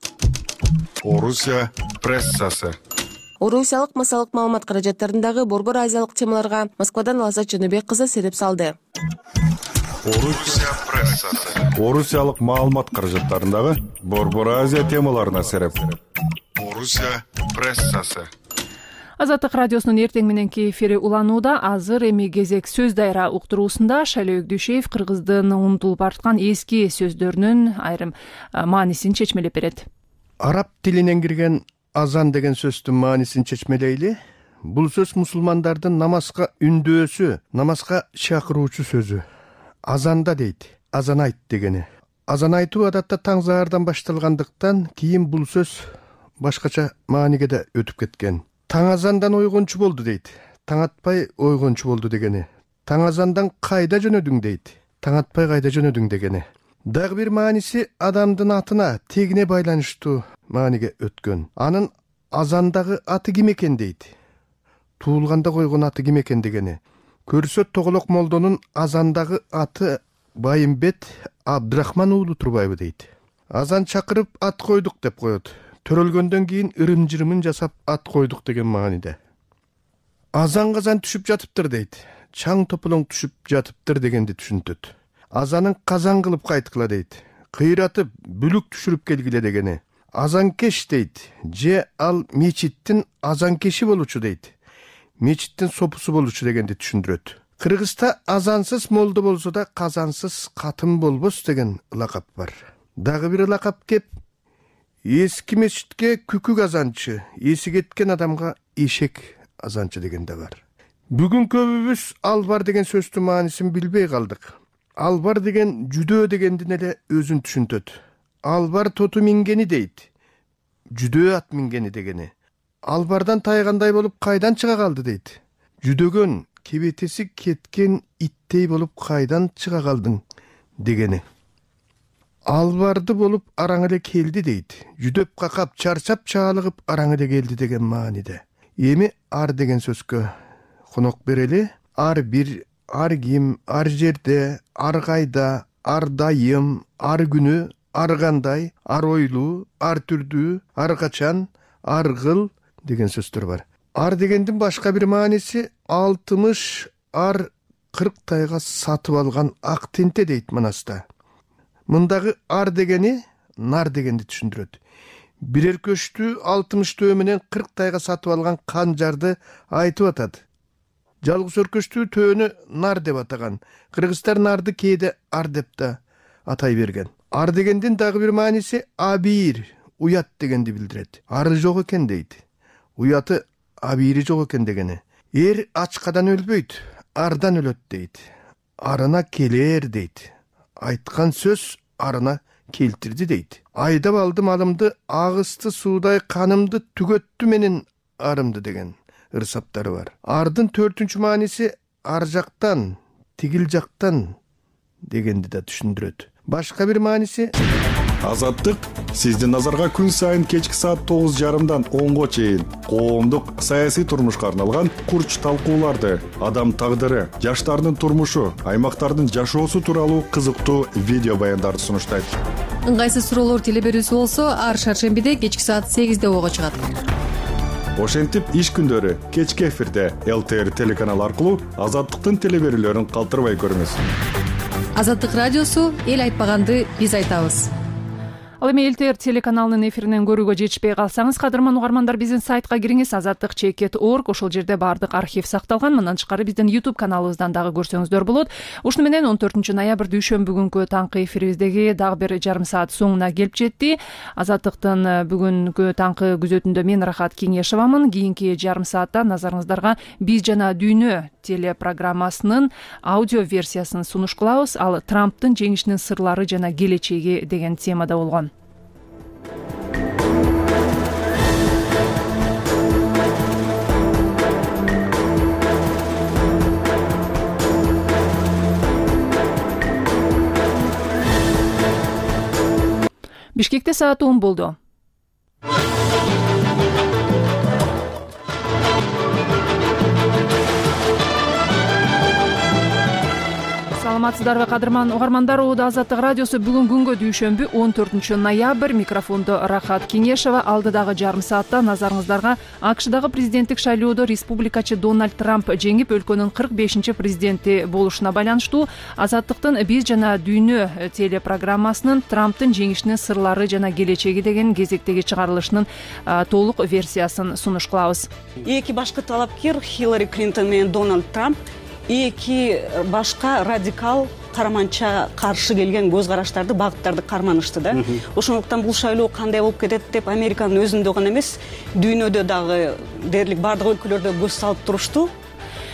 Орусия прессасы. Орусиялык массалык маалымат каражаттарындагы борбор азиялык темаларга Москвадан Лаззат Жөнөбек кызы сереп салды. Орусия прессасы. Орусиялык маалымат каражаттарындагы борбор азия темаларына сереп. Орусия прессасы. Азаттык радиосунун эртең мененки эфири уланууда. Азыр эми кезек сөз дайра уктуруусунда Шайлоо Өгдүшев кыргыздын унутулуп бараткан эски сөздөрүнүн айрым маанисин чечмелеп берет. Араб тилинен кирген азан деген сөздүн маанисин чечмелейли. Бул сөз мусулмандардын намазга үндөөсү, намазга чакыруучу сөзү. Азанда дейт, азан айт дегени. Азан айтуу адатта таң заардан башталгандыктан кийин бул сөз башкача мааниге да өтүп кеткен. Таң азандан ойгончу болду дейт. Таң атпай ойгончу болду дегени. Таң азандан кайда жөнөдүң дейт. Таң атпай кайда жөнөдүң дегени. Дагы бир мааниси адамдын атына, тегине байланыштуу мааниге өткөн. Анын азандагы аты ким экен дейт. Туулганда койгон аты ким экен дегени. Көрсө Тоголок молдонун азандагы аты Байымбет Абдрахман уулу Турбаева дейт. Азан чакырып ат койдук деп коет. Төрөлгөндөн кийин ырым-жырымын жасап ат койдук деген мааниде. Азан казан түшүп жатыптыр дейт. Чаң тополоң түшүп жатыптыр дегенди түшүнтөт. Азанын казан кылып кайткыла дейт. Кыйратып, бүлүк түшүрүп келгиле дегени. Азанкеш дейт. Же ал мечиттин азанкеши болучу дейт. Мечиттин сопусу болучу дегенди түшүндүрөт. Кыргызда азансыз молдо болсо да казансыз катын болбос деген лакап бар. Дагы бир лакап кеп эски мечитке күкүк азанчы, эси кеткен адамга эшек азанчы деген да бар. Бүгүн көбүбүз албар деген сөздүн маанисин билбей калдык. Албар деген жүдөө дегендин эле өзүн түшүнтөт. Албар тоту мингени дейт. Жүдөө ат мингени дегени. Албардан тайгандай болуп кайдан чыга калды дейт. Жүдөгөн, кебетеси кеткен иттей болуп кайдан чыга калдың дегени. Албарды болуп араң эле келди дейт. Жүдөп какап, чарчап чаалыгып араң эле келди деген мааниде. Эми ар деген сөзгө конок берели. Ар бир, ар ким, ар жерде, ар кайда, ар дайым, ар күнү, ар кандай, ар ойлуу, ар түрдүү, ар качан, ар кыл деген сөздөр бар. Ар дегендин башка бир мааниси 60 ар 40 тайга сатып алган ак тенте дейт Манаста. Мындагы ар дегени нар дегенди түшүндүрөт. Бирер көчтү 60 төө менен 40 тайга сатып алган канжарды айтып атат. Жалгыз өркөчтүү төөнү нар деп атаган. Кыргыздар нарды кээде ар деп да атай берген. Ар дегендин дагы бир мааниси абийир, уят дегенди билдирет. Ары жок экен дейт. Уяты абийири жок экен дегени. Эр ачкадан өлбөйт, ардан өлөт дейт. Арына келер дейт. Айткан сөз арына келтирди дейт. Айдап алды малымды, агысты суудай канымды түгөттү менин арымды деген ырсаптары бар. Ардын 4-чү мааниси ар жактан, тигил жактан дегенди да түшүндүрөт. Башка бир мааниси Азаттык сиздин назарга күн сайын кечки саат 9:30 10-го чейин коомдук саясий турмушка арналган курч талкууларды, адам тагдыры, жаштардын турмушу, аймактардын жашоосу тууралуу кызыктуу видео баяндарды сунуштайт. Ыңгайсыз суроолор теле берүүсү болсо ар шаршембиде кечки саат 8-де ого чыгат. Ошентип иш күндөрү кечки эфирде ЛТР телеканалы аркылуу Азаттыктын теле берүүлөрүн калтырбай көрүңүз. Азаттык радиосу эл айтпаганды биз айтабыз. Ал эми ЛТР телеканалынын эфиринен көрүүгө жетишпей калсаңыз, кадырман угармандар, биздин сайтка кириңиз, azattik.org. Ошол жерде баардык архив сакталган. Мындан тышкары биздин YouTube каналыбыздан дагы көрсөңүздөр болот. Ушуну менен 14 ноябрь дүйшөмбү күнкү таңкы эфирибиздеги дагы бир жарым саат соңуна келип жетти. Азаттыктын бүгүнкү таңкы күзөтүндө мен Рахат Кеңешевамын. Кийинки жарым саатта назарыңыздарга Биз жана дүйнө телепрограммасынын аудио версиясын сунуш кылабыз. Ал Трамптын жеңишинин сырлары жана келечеги деген темада болгон. Бишкекте саат 10 болду. Саламатсыздарбы кадырман угармандар, Азаттык радиосу бүгүн күнгө дүйшөмбү 14 ноябрь. Микрофондо Рахат Кеңешева. Алдыдагы жарым саатта назарыңыздарга АКШдагы президенттик шайлоодо республикачы Дональд Трамп жеңип, өлкөнүн 45 президенти болушуна байланыштуу Азаттыктын Биз жана дүйнө телепрограммасынын Трамптын жеңишинин сырлары жана келечеги деген кезектеги чыгарылышынын толук версиясын сунуш кылабыз. Эки башкы талапкер Хиллари Клинтон менен Дональд Трамп эки башка радикал караманча каршы келген көз караштарды, багыттарды карманышты да. Ошондуктан бул шайлоо кандай болуп кетет деп Американын өзүндө гана эмес, дүйнөдө дагы дээрлик бардык өлкөлөрдө көз салып турушту.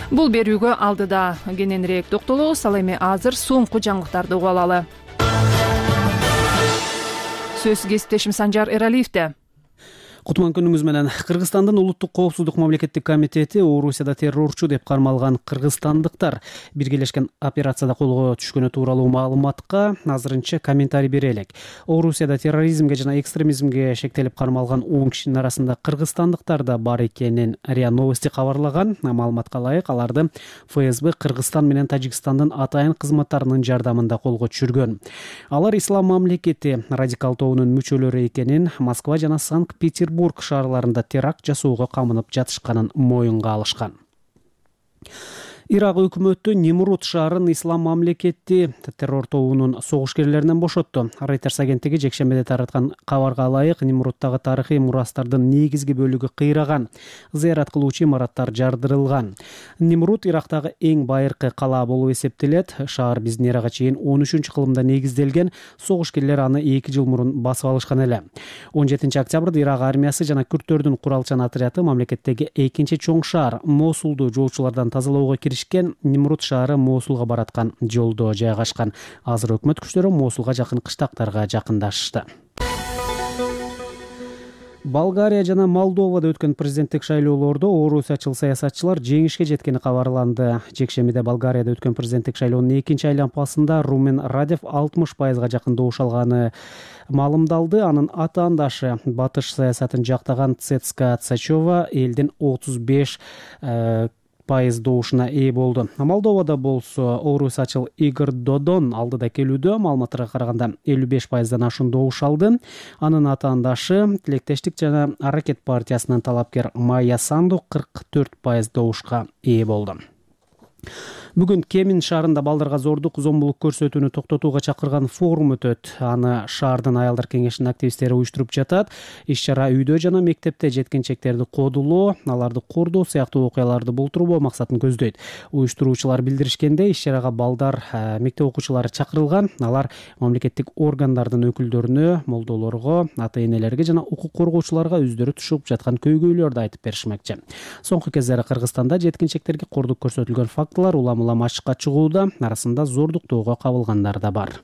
Бул берүүгө алдыда кененирээк токтолобуз. Ал эми азыр соңку жаңылыктарды угуп алалы. Сөз кесиптешим Санжар Эралиевде. Кутман күнүңүз менен. Кыргызстандын улуттук коопсуздук мамлекеттик комитети Орусияда террорчу деп кармалган кыргызстандыктар биргелешкен операцияда колго түшкөнү тууралуу маалыматка азырынча комментарий бере элек. Орусияда терроризмге жана экстремизмге шектелип кармалган 10 кишинин арасында кыргызстандыктар да бар экенин РИА Новости кабарлаган. Маалыматка ылайык, аларды ФСБ Кыргызстан менен Тажикстандын атайын кызматтарынын жардамында колго түшүргөн. Алар ислам мамлекети радикал тобунун мүчөлөрү экенин, Москва жана Санкт-Петербург шаарларында теракт жасоого камынып жатышканын моюнга алышкан. Ирак өкмөтү Нимрут шаарын ислам мамлекети террор тобунун согушкерлеринен бошотту. Reuters агенттиги жекшембиде тараткан кабарга ылайык, Нимруттагы тарыхый мурастардын негизги бөлүгү кыйраган, зыярат кылуучу имараттар жардырылган. Нимрут Ирактагы эң байыркы кала болуп эсептелет. Шаар биздин эрага чейин 13-кылымда негизделген, согушкерлер аны 2 жыл мурун басып алышкан эле. 17 октябрда Ирак армиясы жана күрттөрдүн куралчан отряды мамлекеттеги экинчи чоң шаар Мосулду жоочулардан тазалоого Нимрут шаары Мосулга бараткан жолдо жайгашкан. Азыр өкмөт күчтөрү Мосулга жакын кыштактарга жакындашышты. Болгария жана Молдовада өткөн президенттик шайлоолордо орусиячыл саясатчылар жеңишке жеткени кабарланды. Жекшембиде Болгарияда өткөн президенттик шайлоонун экинчи айланпасында Румен Радев 60% жакын добуш алганы маалымдалды. Анын атаандашы батыш саясатын жактаган Цецка Цачова элдин 35% добушуна ээ болду. Молдовада болсо орусиячыл Игорь Додон алдыда келүүдө, маалыматтарга караганда 55%дан ашуун добуш алды. Анын атаандашы Тилектештик жана Аракет партиясынын талапкер Майя Санду 44% добушка ээ болду. Бүгүн Кемин шаарында балдарга зордук, зомбулук көрсөтүүнү токтотууга чакырган форум өтөт. Аны шаардын аялдар кеңешинин активисттери уюштуруп жатат. Иш-чара үйдө жана мектепте жеткинчектерди кодулоо, аларды кордоо сыяктуу окуяларды болтурбоо максатын көздөйт. Уюштуруучулар билдиришкенде, иш-чарага балдар, мектеп окуучулары чакырылган. Алар мамлекеттик органдардын өкүлдөрүнө, молдолорго, ата-энелерге жана укук коргоочуларга өздөрү түшүп жаткан көйгөйлөрдү айтып беришмекчи. Соңку кездери Кыргызстанда жеткинчектерге кордук көрсөтүлгөн фактылар улам ашыкка чыгууда, арасында зордуктоого кабылгандар да бар.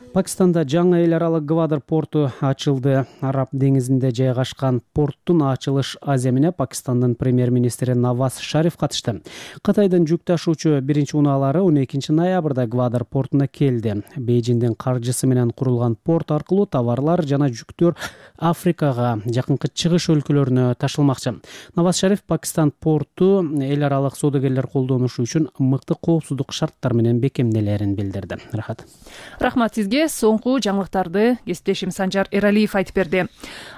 Пакистанда жаңы эл аралык Гвадар порту ачылды. Араб деңизинде жайгашкан порттун ачылыш аземине Пакистандын премьер-министри Наваз Шариф катышты. Кытайдын жүк ташуучу биринчи унаалары 12 ноябрда Гвадар портуна келди. Бейжиңдин каржысы менен курулган порт аркылуу товарлар жана жүктөр Африкага, жакынкы чыгыш өлкөлөрүнө ташылмакчы. Наваз Шариф Пакистан порту эл аралык соодагерлер колдонушу үчүн мыкты коопсуздук шарттар менен бекемделерин билдирди. Рахмат сизге. соңку жаңылыктарды кесиптешим Санжар Эралиев айтып берди.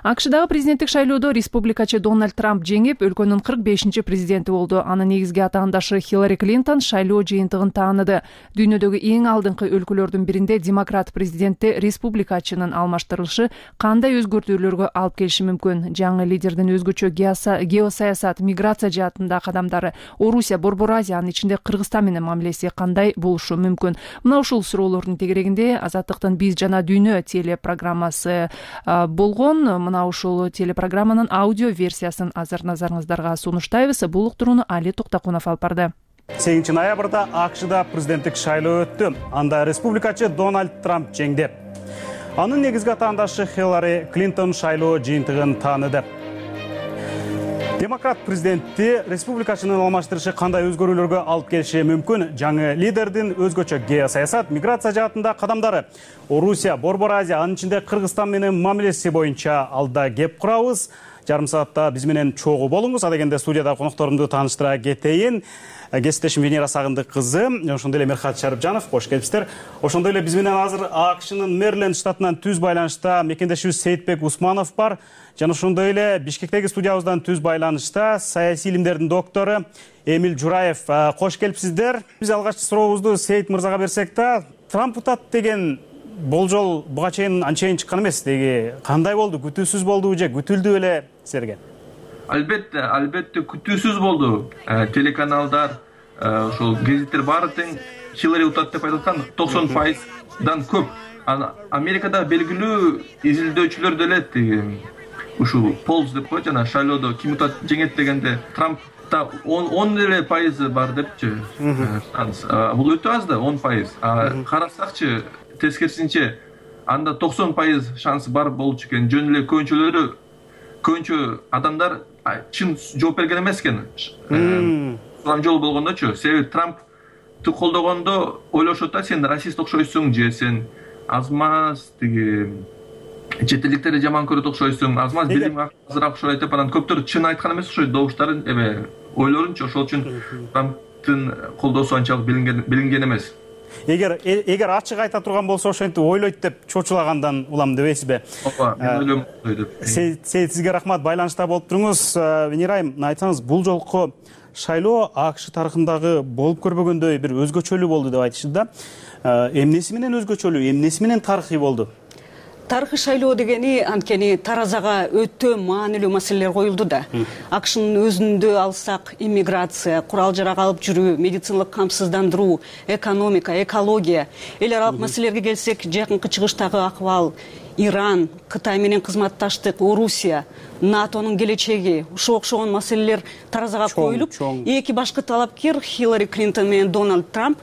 АКШдагы президенттик шайлоодо республикачы Дональд Трамп жеңип, өлкөнүн 45-чи президенти болду. Анын негизги атаандашы Хиллари Клинтон шайлоо жыйынтыгын тааныды. Дүйнөдөгү эң алдыңкы өлкөлөрдүн биринде демократ президентти республикачынын алмаштырылышы кандай өзгөртүүлөргө алып келиши мүмкүн? Жаңы лидердин өзгөчө геосаясат, миграция жаатында кадамдары, Орусия, Борбор Азия, анын ичинде Кыргызстан менен мамилеси кандай болушу мүмкүн? Мына ушул суроолордун тегерегинде Азаттыктын «Биз жана дүйнө» телепрограммасы болгон. Мына ушул телепрограмманын аудио версиясын азыр назарыңыздарга сунуштайбыз. Бул уктурууну Али Токтакунов алып барды. 8 ноябрда АКШда президенттик шайлоо өттү. Анда республикачы Дональд Трамп жеңди. Анын негизги атаандашы Хиллари Клинтон шайлоо жыйынтыгын тааныды. Демократ президентти республикачынын алмаштырышы кандай өзгөрүүлөргө алып келиши мүмкүн? Жаңы лидердин өзгөчө геосаясат, миграция жаатында кадамдары, Орусия, Борбор Азия, анын ичинде Кыргызстан менен мамилеси боюнча алда кеп курабыз. Жарым саатта биз менен чогуу болуңуз. Адегенде студияда конокторумду тааныштыра кетейин. Кесиптешим Венера Сагындык кызы, ошондой эле Мерхат Шарипжанов, кош келипсиздер. Ошондой эле биз менен азыр АКШнын Мэриленд штатынан түз байланышта мекендешибиз Сейитбек Усманов бар. Жана ошондой эле Бишкектеги студиябыздан түз байланышта саясий илимдердин доктору Эмиль Жураев. Кош келипсиздер. Биз алгачкы сурообузду Сейит мырзага берсек да, Трамп утат деген болжол буга чейин анчейин чыккан эмес. Деги кандай болду? Күтүүсүз болдубу же күтүлдү эле силерге? Албетте күтүүсүз болду. Телеканалдар, ошол гезиттер баары тең Хиллари утат деп айткан 90%дан көп. Америкада белгилүү изилдөөчүлөр деле ушул полз деп коет, жана шайлоодо ким утат жеңет дегенде Трампта 10 эле пайызы бар депчи. Бул өтө аз да 10%. Карасакчы тескерисинче анда 90% шансы бар болчу экен. Жөн эле көбүнчө адамдар чын жооп берген эмес экен. Сулам жол болгондочу. Себеби Трампты колдогондо ойлошот да, сен расист окшойсуң же сен азмаз чет элдиктерди жаман көрөт окшойсуң, азмаз билим азыраак окшойт деп, анан көптөр чын айткан эмес окшойт добуштарын, ойлорунчу. Ошол үчүн Трамптын колдоосу анчалык билинген эмес. Эгер ачык айта турган болсо, ошентип ойлойт деп чочулагандан улам дебейсизби? Ооба, мен ойлойм деп. Сейит, сизге рахмат, байланышта болуп туруңуз. Венерайым, айтсаңыз, бул жолку шайлоо АКШ тарыхындагы болуп көрбөгөндөй бир өзгөчөлүү болду деп айтышты да. Эмнеси менен өзгөчөлүү, эмнеси менен тарыхый болду? Тарыхый шайлоо дегени анткени таразага өтө маанилүү маселелер коюлду да. АКШнын өзүндө алсак, иммиграция, курал жарак алып жүрүү, медициналык камсыздандыруу, экономика, экология, эл аралык маселелерге келсек, жакынкы чыгыштагы акыбал, Иран, Кытай менен кызматташтык, Орусия, НАТОнун келечеги, ушуга окшогон маселелер таразага коюлуп, эки башкы талапкер Хиллари Клинтон менен Дональд Трамп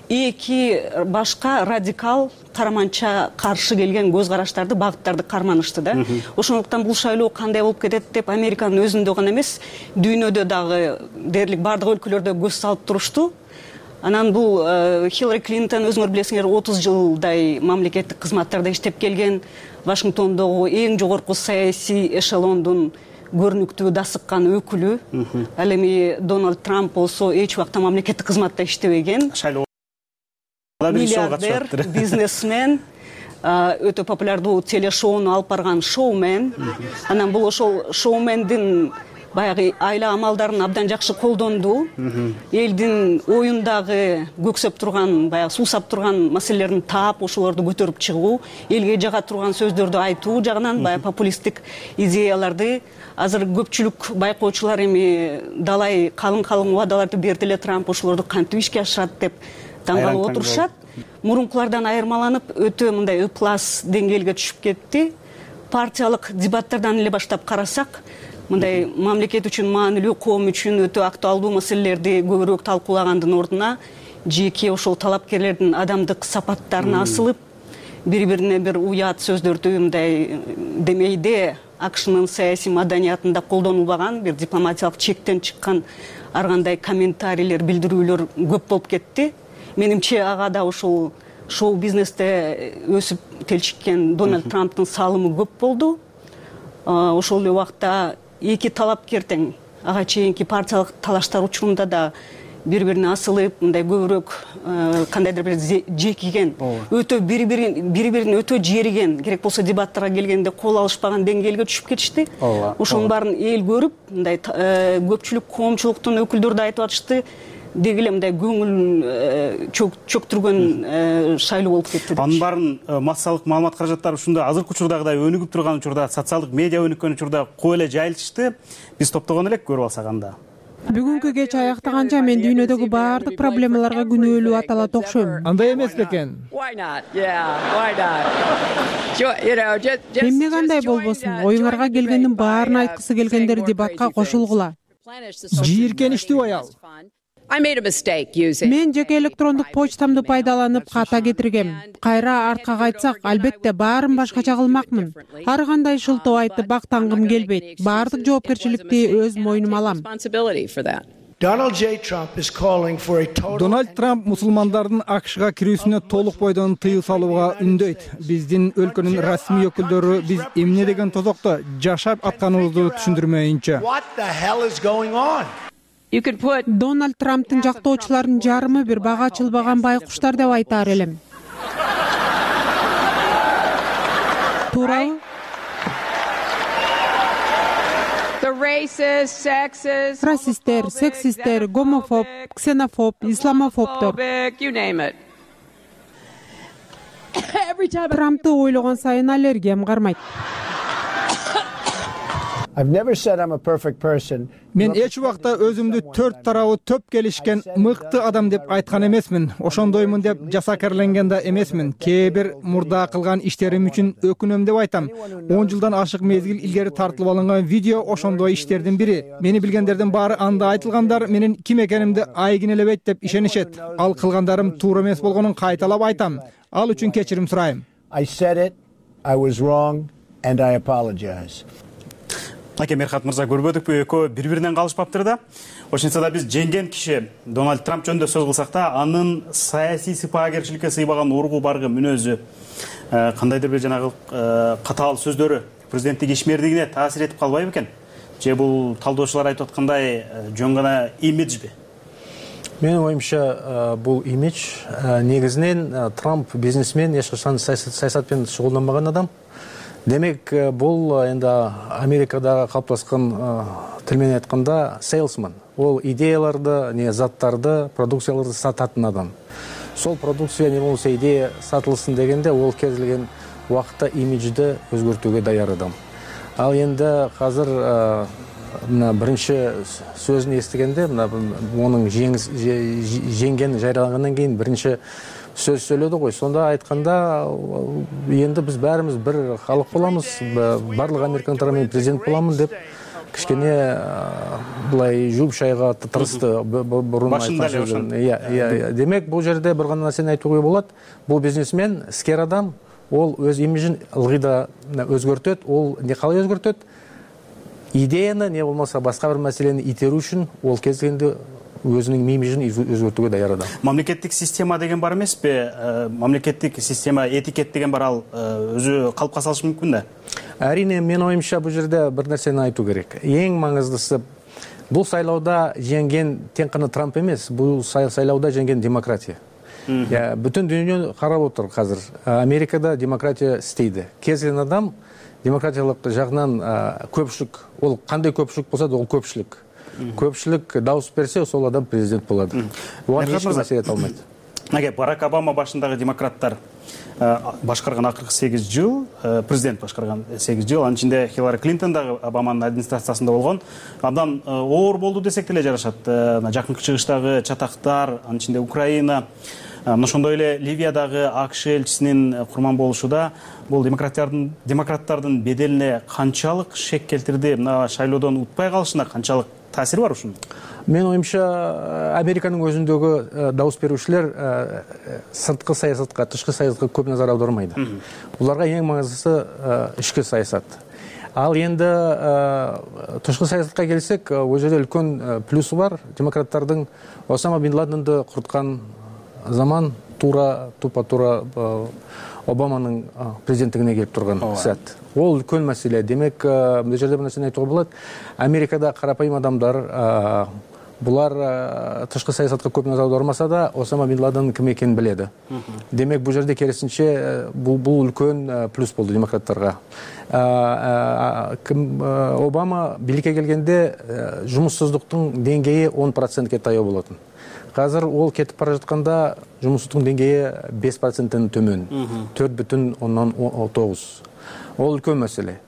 эки башка радикал караманча каршы келген көз караштарды, багыттарды карманышты да. Ошондуктан бул шайлоо кандай болуп кетет деп Американын өзүндө гана эмес, дүйнөдө дагы дээрлик бардык өлкөлөрдө көз салып турушту. Анан бул Хиллари Клинтон, өзүңөр билесиңер, 30 жылдай мамлекеттик кызматтарда иштеп келген, Вашингтондогу эң жогорку саясий эшелондун көрүнүктүү дасыккан өкүлү. Ал эми Дональд Трамп болсо эч убакта мамлекеттик кызматта иштебеген. Миллиардер, бизнесмен, өтө популярдуу телешоуну алып барган шоумен. Анан бул ошол шоумендин баягы айла амалдарын абдан жакшы колдонду. Элдин оюндагы көксөп турган, баягы суусап турган маселелерин таап, ошолорду көтөрүп чыгуу, элге жага турган сөздөрдү айтуу жагынан баягы популисттик идеяларды азыр көпчүлүк байкоочулар эми далай калың убадаларды берди эле Трамп, ошолорду кантип ишке ашырат деп таң калып отурушат. Мурункулардан айырмаланып, өтө мындай ыплас деңгээлге түшүп кетти. Партиялык дебаттардан эле баштап карасак, мындай мамлекет үчүн маанилүү, коом үчүн өтө актуалдуу маселелерди көбүрөөк талкуулагандын ордуна жеке ошол талапкерлердин адамдык сапаттарына асылып, бири-бирине бир уят сөздөрдү мындай демейде АКШнын саясий маданиятында колдонулбаган, бир дипломатиялык чектен чыккан ар кандай комментарийлер, билдирүүлөр көп болуп кетти. Менимче ага да ошол шоу бизнесте өсүп телчиккен Дональд Трамптын салымы көп болду. Ошол эле убакта эки талапкер тең ага чейинки партиялык талаштар учурунда да бири бирине асылып мындай көбүрөөк кандайдыр бир жекиген, өтө бири бирин өтө жериген, керек болсо дебаттарга келгенде кол алышпаган деңгээлге түшүп кетишти. Ошонун баарын эл көрүп, мындай көпчүлүк коомчулуктун өкүлдөрү да айтып атышты, деги эле мындай көңүл чөктүргөн шайлоо болуп кетти. Анын баарын массалык маалымат каражаттары ушундай азыркы учурдагыдай өнүгүп турган учурда, социалдык медиа өнүккөн учурда кой эле жайылтышты. Биз топтогон элек, көрүп алсак анда. Бүгүнкү кеч аяктаганча мен дүйнөдөгү баардык проблемаларга күнөөлүү аталат окшойм. Андай эмес бекен? Эмне кандай болбосун, оюңарга келгендин баарын айткысы келгендер дебатка кошулгула. Жийиркеничтүү аял. Мен жеке электрондук почтамды пайдаланып ката кетиргем. Кайра артка кайтсак, албетте баарын башкача кылмакмын. Ар кандай шылтоо айтып бактангым келбейт. Баардык жоопкерчиликти өз мойнума алам. Дональд Трамп мусулмандардын АКШга кирүүсүнө толук бойдон тыюу салууга үндөйт. Биздин өлкөнүн расмий өкүлдөрү биз эмне деген тозокто жашап атканыбызды түшүндүрмөйүнчө. Дональд Трамптын жактоочуларынын жарымы бир бага ачылбаган байкуштар деп айтаар элем. Туурабы? Расисттер, сексисттер, гомофоб, ксенофоб, исламофобдор. Трампты ойлогон сайын аллергиям кармайт. Мен эч убакта өзүмдү төрт тарабы төп келишкен мыкты адам деп айткан эмесмин. Ошондоймун деп жасакерленген да эмесмин. Кээ бир мурда кылган иштерим үчүн өкүнөм деп айтам. 10 жылдан ашык мезгил илгери тартылып алынган видео ошондой иштердин бири. Мени билгендердин баары анда айтылгандар менин ким экенимди айгинелебейт деп ишенишет. Ал кылгандарым туура эмес болгонун кайталап айтам. Ал үчүн кечирим сурайм. Аке Мерхат мырза, көрбөдүкпү, экөө бири-биринен калышпаптыр да. Ошентсе да биз жеңген киши Дональд Трамп жөнүндө сөз кылсак да, анын саясий сыпаагерчиликке сыйбаган ургу баргы мүнөзү, кандайдыр бир жанагы катаал сөздөрү президенттик ишмердигине таасир этип калбайбы экен? Же бул талдоочулар айтып аткандай жөн гана имиджби? Менин оюмча бул имидж. Негизинен Трамп бизнесмен, эч качан саясат менен шугулданбаган адам. Демек, бул енді Америкада калыптаскан тил менен айтканда salesman. Ол идеяларды, заттарды, продукцияларды сататын адам. Сол продукция не болсо идея сатылсын дегенде, ол кез келген убакытта имиджди өзгөртүүгө даяр адам. Ал енді азыр биринчи сөзүн эстегенде, онун жеңген жарыялагандан кийин биринчи сөз сөйлөдү ғой. Сонда айтканда, енді биз баарыбыз бир халык боламыз, барлык американдар мен президент боламын деп кичкене булай жууп шайга тырышты бурун айткан. Демек, бул жерде бир гана нерсени айтууга болот. Бул бизнесмен, искер адам, ол өз имиджин ылгый да өзгөртөт. Ол не калай өзгөртөт? Идеяны, не болмаса башка бир маселени итерүү үчүн ол кез келгенде өзүнүн имиджин өзгөртүүгө даяр адам. Мамлекеттик система деген бар эмеспи? Мамлекеттик система, этикет деген бар, ал өзү калыпка салышы мүмкүн да? Әрине, мен оюмча бул жерде бир нерсени айтуу керек. Эң маңыздысы, бул шайлоодо жеңген тең гана Трамп эмес, бул шайлоодо жеңген демократия. Бүтүн дүйнө карап отур азыр. Америкада демократия истейди. Кез келген адам демократиялык жагынан көпчүлүк, ол кандай көпчүлүк болсо да ол көпчүлүк. Көпчүлүк дауыс берсе, сол адам президент болады. Оған ешкім мәселе ете алмайды. Барак Обама башындагы демократтар башкарган акыркы 8 жыл, президент башкарган 8 жыл, анын ичинде Хиллари Клинтон дагы Обаманын администрациясында болгон. Абдан оор болду десек деле жарашат. Жакынкы чыгыштагы чатактар, анын ичинде Украина, ошондой эле Ливиядагы АКШ элчисинин курман болушуда бул демократтардын беделине канчалык шек келтирди? Мына шайлоодон утпай калышына канчалык таасири бар ушунун? Мен оюмча, Американын өзүндөгү дауыс берүүчүлөр сырткы саясатка, тышкы саясатка көп назар аудармайды. Буларга эң маңыздысы ички саясат. Ал енді тышкы саясатка келсек, ол жерде үлкөн плюсу бар. Демократтардын Осама бин Ладенди курткан заман тупа-тура Обаманын президенттигине келип турган сәт. Ол үлкөн маселе. Демек, бул жерде бир нерсени айтууга болот. Америкада карапайым адамдар булар тышкы саясатка көп назар аудармаса да Осама бин Ладен ким экенин билет. Демек бул жерде керисинче бул үлкөн плюс болду демократтарга. Обама бийликке келгенде жумуссуздуктун деңгээи 10%ке таяу болотун. Азыр ол кетип бара жатканда жумуссуздуктун деңгээи 5%тен төмөн, 4,9. Ол үлкөн маселе.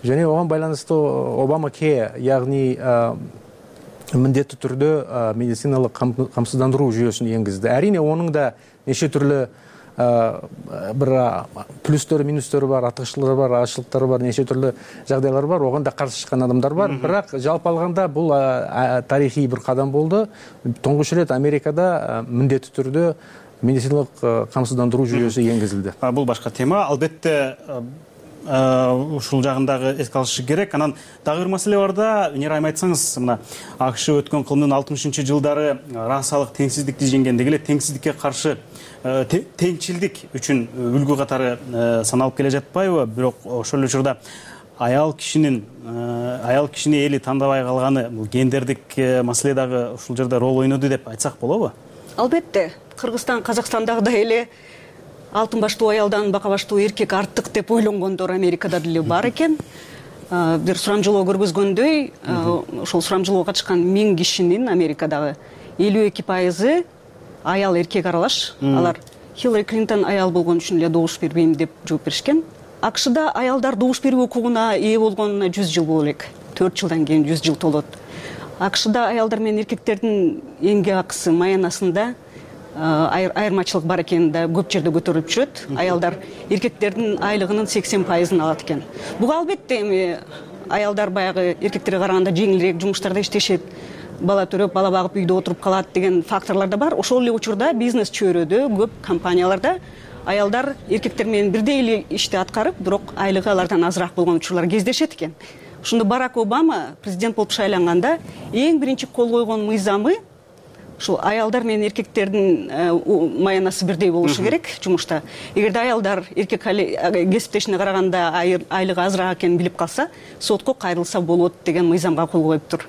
Және оған байланыстуу Обама ке, яғни міндетті түрдө медициналык камсыздандыруу жүйөсүн энгизди. Әрине оның да неше түрлі бір плюстөрү, минустөрү бар, артыкчылыктары бар, азчылыктары бар, неше түрлі жагдайлар бар. Оған да каршы чыккан адамдар бар. Бирок жалпы алганда бул тарихий бір кадам болду. Тоңгуч рет Америкада міндетті түрдө медициналык камсыздандыруу жүйөсү энгизилди. Бул башка тема. Албетте ушул жагындагы эске алышы керек. Анан дагы бир маселе бар да, Венера айым айтсаңыз, мына АКШ өткөн кылымдын 60-жылдары расалык теңсиздикти жеңгендеги эле теңсиздикке каршы теңчилдик үчүн үлгү катары саналып келе жатпайбы? Бирок ошол эле учурда аял кишини эли тандабай калганы бул гендердик маселе дагы ушул жерде рол ойноду деп айтсак болобу? Албетте, Кыргызстан, Казакстандагы эле алтын баштуу аялдан бака баштуу эркек артык деп ойлонгондор Америкада деле бар экен. Бир сурамжылоо көргөзгөндөй, ошол сурамжылоого катышкан 1000 кишинин Америкадагы 52% аял эркек аралаш. Алар Хиллари Клинтон аял болгон үчүн эле добуш бербейм деп жооп беришкен. АКШда аялдар добуш берүү укугуна ээ болгонуна 100 жыл боло элек. 4 жылдан кийин 100 жыл толот. АКШда аялдар менен эркектердин эмгек акысы маянасында айырмачылык бар экени да көп жерде көтөрүлүп жүрөт. Аялдар эркектердин айлыгынын 80%-ын алат экен. Буга албетте эми аялдар баягы эркектерге караганда жеңилирээк жумуштарда иштешет, бала төрөп, бала багып үйдө отуруп калат деген факторлор да бар. Ошол эле учурда бизнес чөйрөдө көп компанияларда аялдар эркектер менен бирдей эле ишти аткарып, бирок айлыгы алардан азыраак болгон учурлар кездешет экен. Ошондо Барак Обама президент болуп шайланганда эң биринчи кол койгон мыйзамы ушул аялдар менен эркектердин маянасы бирдей болушу керек жумушта. Эгерде аялдар эркек кесиптешине караганда айлыгы азыраак экенин билип калса, сотко кайрылса болот деген мыйзамга кол коюптур.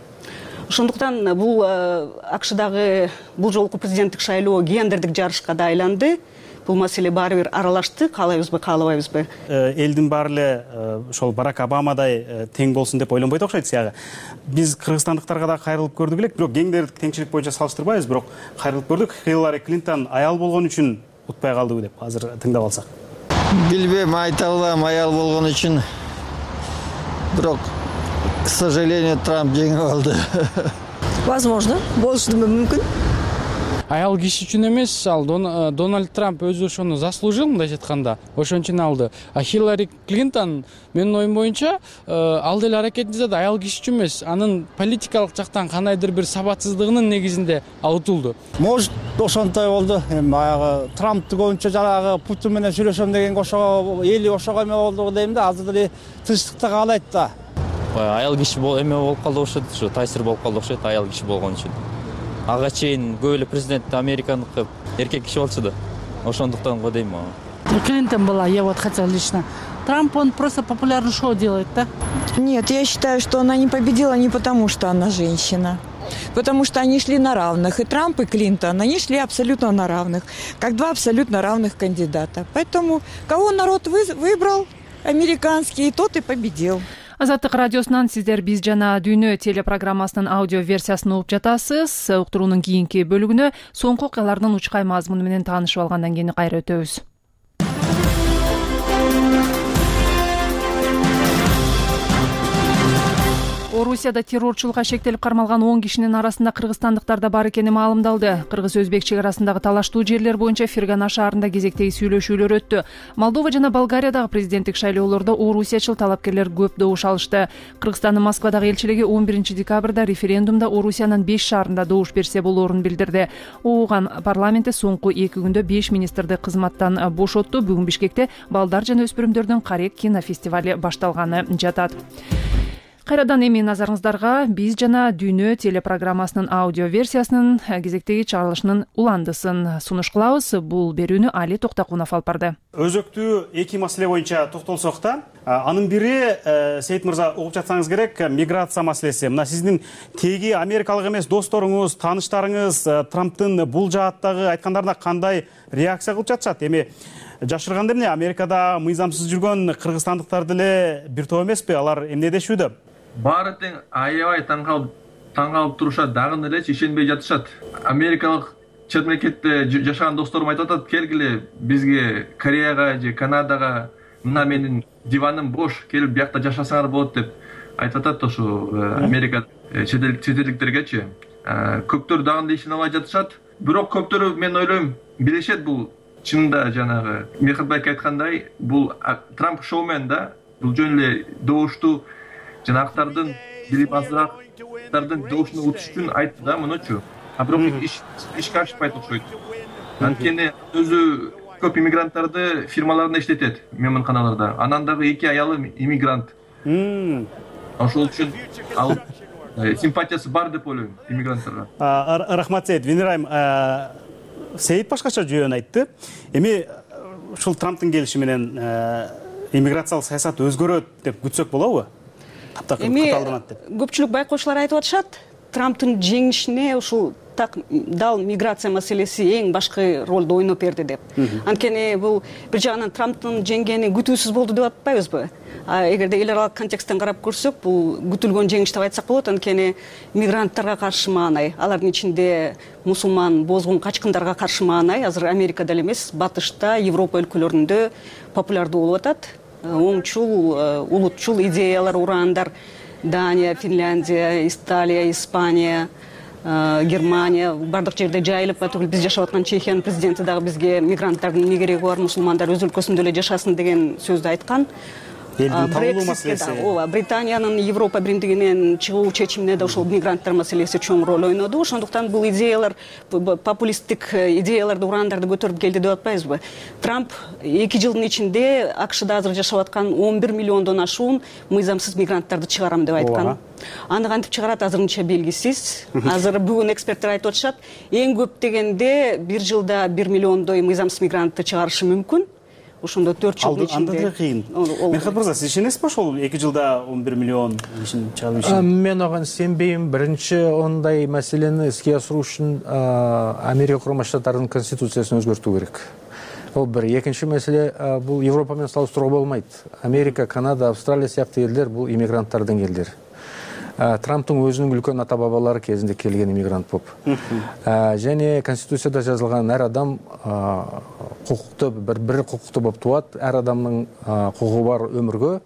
Ошондуктан бул АКШдагы бул жолку президенттик шайлоо гендердик жарышка да айланды. Бул маселе баары бир аралашты, каалайбызбы, каалабайбызбы. Элдин баары эле ошол Барак Обамадай тең болсун деп ойлонбойт окшойт сиягы. Биз кыргызстандыктарга да кайрылып көрдүк элек, бирок гендердик теңчилик боюнча салыштырбайбыз, бирок кайрылып көрдүк. Хиллари Клинтон аял болгон үчүн утпай калдыбы деп азыр тыңдап алсак. Билбейм, айта албайм, аял болгон үчүн. Бирок, к сожалению, Трамп жеңип алды. Возможно, болушу мүмкүн. Аял киши үчүн эмес, ал Дональд Трамп өзү ошону заслужил, мындайча айтканда, ошон үчүн алды. А Хиллари Клинтон, менин оюм боюнча, ал деле аракетин жасады, аял киши үчүн эмес, анын политикалык жактан кандайдыр бир сабатсыздыгынын негизинде ал утулду. Может, ошонтой болду. Баягы Трампты көбүнчө жанагы Путин менен сүйлөшөм деген ошого эли ошого эме болду дейм да, азыр деле тынчтыкты каалайт да. Аял киши эме болуп калды окшойт, ушу таасир болуп калды окшойт аял киши болгон үчүн. Ага чейин көп эле президент американдык эркек киши болчу да. Ошондуктан го дейм. Клинтон была, я вот хотела лично. Трамп, он просто популярное шоу делает, да? Нет, я считаю, что она не победила не потому, что она женщина. Потому что они шли на равных. И Трамп, и Клинтон, они шли абсолютно на равных. Как два абсолютно равных кандидата. Поэтому кого народ выбрал, американский, тот и победил. Азаттык радиосунан сиздер Биз жана Дүйнө телепрограммасынын аудио версиясын угуп жатасыз. Уктуруунун кийинки бөлүгүнө соңку окуялардын учкай мазмуну менен таанышып алгандан кийин кайра өтөбүз. Орусияда террорчулукка шектелип кармалган 10 кишинин арасында кыргызстандыктар да бар экени маалымдалды. Кыргыз-өзбек чек арасындагы талаштуу жерлер боюнча Фергана шаарында кезектеги сүйлөшүүлөр өттү. Молдова жана Болгариядагы президенттик шайлоолордо орусиячыл талапкерлер көп добуш алышты. Кыргызстандын Москвадагы элчилиги 11 декабрда референдумда Орусиянын 5 шаарында добуш берсе болоорун билдирди. Ооган парламентте соңку 2 күндө 5 министрди кызматтан бошотту. Бүгүн Бишкекте балдар жана өспүрүмдөрдүн Карек кинофестивали башталганы жатат. Кайрадан эми назарыңыздарга биз жана Дүйнө телепрограммасынын аудио версиясынын кезектеги чыгарылышынын уландысын сунуш кылабыз. Бул берүүнү Али Токтокунов алып барды. Өзөктүү эки маселе боюнча токтолсок да, анын бири Сейит мырза угуп жатсаңыз керек, миграция маселеси. Мына сиздин теги америкалык эмес досторуңуз, тааныштарыңыз Трамптын бул жааттагы айткандарына кандай реакция кылып жатышат? Эми жашырганда эмне, Америкада мыйзамсыз жүргөн кыргызстандыктар деле бир топ эмеспи? Алар эмне дешүүдө? Баары тең аябай таң калып турушат, дагы элечи ишенбей жатышат. Америкалык чет мамлекетте жашаган досторум айтып атат, келгиле бизге Кореяга же Канадага, мына менин диваным бош, келип биякта жашасаңар болот деп айтып атат ошо Америка чет элдиктергечи. Көптөр дагы ишене албай жатышат. Бирок көптөрү, мен ойлойм, билишет бул чынында жанагы Мехатбек айткандай, бул Трамп шоумен да, бул жөн эле добушту жанагылардын билим азыраактардын добушуна утуш үчүн айтты да, мынучу. А бирок ишке ашпайт окшойт. Анткени өзү көп иммигранттарды фирмаларында иштетет, мейманканаларда. Анан дагы эки аялы иммигрант. Ошол үчүн ал симпатиясы бар деп ойлойм иммигранттарга. Рахмат Сейит. Венерайым, Сейит башкача жөн айтты. Эми ушул Трамптын келиши менен иммиграциялык саясат өзгөрөт деп күтсөк болобу? Эми көпчүлүк байкоочулар айтып атышат, Трамптын жеңишине ушул так дал миграция маселеси эң башкы ролду ойноп берди деп. Анткени бул бир жагынан Трамптын жеңгени күтүүсүз болду деп атпайбызбы? Эгерде эл аралык контексттен карап көрсөк, бул күтүлгөн жеңиш деп айтсак болот. Анткени мигранттарга каршы маанай, алардын ичинде мусулман, бозгун, качкындарга каршы маанай азыр Америкада эле эмес, Батышта, Европа өлкөлөрүндө популярдуу болуп атат. Оңчул, улутчул идеялар ураандар Дания, Финляндия, Италия, Испания, Германия бардык жерде жайылып атып, биз жашап аткан Чехиянын президенти дагы бизге мигранттардын эмне кереги бар, мусулмандар өз өлкөсүндө эле жашасын деген сөздү айткан. Британиянын Европа биримдигинен чыгуу чечимине да ошол мигранттар маселеси чоң роль ойноду. Ошондуктан бул идеялар, популисттик идеяларды, ураандарды көтөрүп келди деп атпайбызбы? Трамп 2 жылдын ичинде АКШда азыр жашап аткан 11 миллиондон ашуун мыйзамсыз мигранттарды чыгарам деп айткан. Аны кантип чыгарат азырынча белгисиз. Азыр бүгүн эксперттер айтып атышат, эң көп дегенде 1 жылда 1 миллиондой мыйзамсыз мигрантты чыгарышы мүмкүн. Ошондо 4 жылдын ичинде. Анда деле кыйын. Мехат мырза, сиз ишенесизби ошол 2 жылда 11 миллион ишин чыгарып ишин? Мен ага сенбейм. Биринчи ондай маселени иске асыруу үчүн Америка Курма Штаттарынын конституциясын өзгөртүү керек. Ол бир. Экинчи маселе, бул Европа менен салыштырууга болбойт. Америка, Канада, Австралия сыяктуу элдер бул иммигранттардын элдери. Трамптың өзүнүн үлкөн ата бабалары кезинде келген иммигрант болуп. Және конституцияда жазылган ар адам кукуктуу бир кукуктуу болуп тууат, ар адамдын кукугу бар өмүргө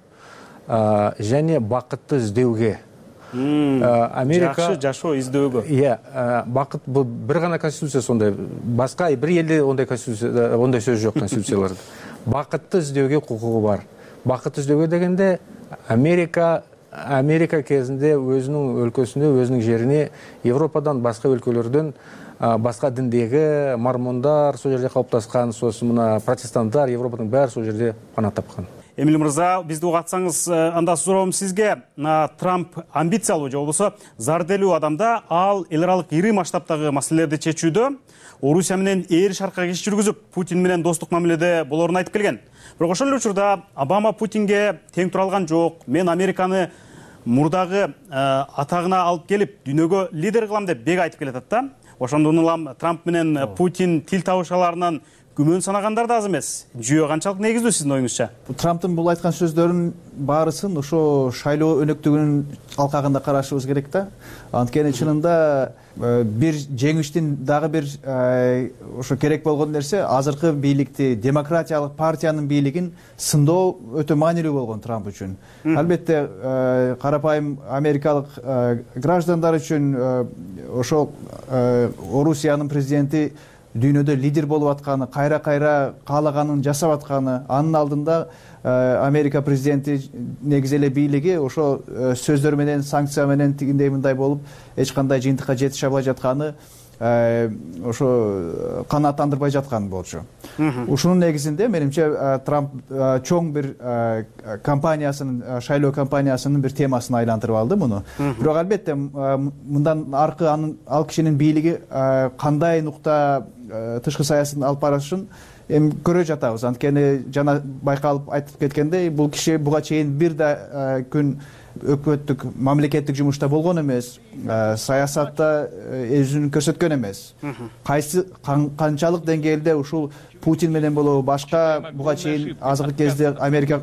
және бакытты издөөгө. Америка жакшы жашоо издөөгө. Бакыт бул бир гана конституция сондай. Башка бир элде ондай конституция, ондай сөз жок конституцияларда. Бакытты издөөгө кукугу бар. Бакытты издөөгө дегенде Америка кезинде өзүнүн өлкөсүндө, өзүнүн жерине Европадан, башка өлкөлөрдөн, башка диндеги мормондар сол жерде калыптаскан, сосын мына протестанттар Европанын баары сол жерде пана тапкан. Эмил мырза, бизди угатсаңыз, анда суроом сизге, Трамп амбициялуу же болбосо зарделүү адамда, ал эл аралык ири масштабтагы маселелерди чечүүдө Орусия менен ээр шаркка киш жүргүзүп, Путин менен достук мамиледе болоорун айтып келген. Бирок ошол эле учурда Обама Путинге тең тура алган жок. Мен Американы мурдагы атагына алып келип, дүйнөгө лидер кылам деп бек айтып келатат да. Ошондон улам Трамп менен Путин тил табышаларынан күмөн санагандар да аз эмес. Жүйө канчалык негиздүү сиздин оюңузча? Трамптын бул айткан сөздөрүнүн баарысын ошо шайлоо өнөктүгүнүн алкагында карашыбыз керек да. Анткени чынында бир жеңиштин дагы бир ошо керек болгон нерсе азыркы бийликти, демократиялык партиянын бийлигин сындоо өтө маанилүү болгон Трамп үчүн. Албетте карапайым америкалык граждандар үчүн ошол Орусиянын президенти дүйнөдө лидер болуп атканы, кайра каалаганын жасап атканы, анын алдында Америка президенти негизи эле бийлиги ошо сөздөр менен, санкция менен тигиндей мындай болуп эч кандай жыйынтыкка жетише албай жатканы ошо канааттандырбай жаткан болчу. Ушунун негизинде менимче Трамп чоң бир кампаниясынын, шайлоо кампаниясынын бир темасына айлантырып алды муну. Бирок албетте мындан аркы ал кишинин бийлиги кандай нукта тышкы саясатын алып барышын эми көрө жатабыз. Анткени жана байкалып айтып кеткендей, бул киши буга чейин бир да күн өкмөттүк мамлекеттик жумушта болгон эмес, саясатта өзүн көрсөткөн эмес. Канчалык деңгээлде ушул Путин менен болобу башка буга чейин азыркы кезде Америка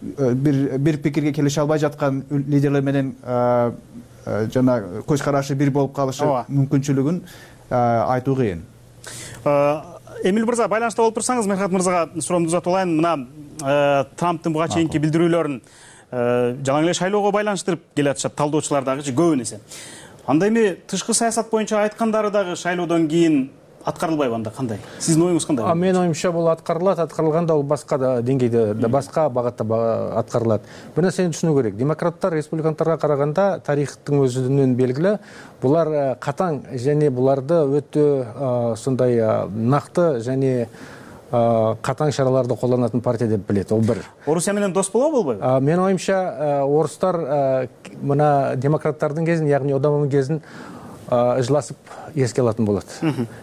бир пикирге келише албай жаткан лидерлер менен жана көз карашы бир болуп калышы мүмкүнчүлүгүн айтуу кыйын. Эмил мырза, байланышта болуп турсаңыз, Мерхат мырзага суроомду узатып алайын. Мына Трамптын буга чейинки билдирүүлөрүн жалаң эле шайлоого байланыштырып келатышат талдоочулар дагычы көбүн эсе. Анда эми тышкы саясат боюнча айткандары дагы шайлоодон кийин аткарылбайбы анда кандай? Сиздин оюңуз кандай? Менин оюмча бул аткарылганда бул башка деңгейде, башка багытта аткарылат. Бир нерсени түшүнүү керек. Демократтар республиканттарга караганда тарыхтын өзүнөн белгилүү. Булар катаң және буларды өтө сондай накты және катаң чараларды колдонатын партия деп билет. Ол бир. Орусия менен дос болобу, болбойбу? Менин оюмча орустар мына демократтардын кезин, яғни Обаманын кезин ыжласып эске алатын болот.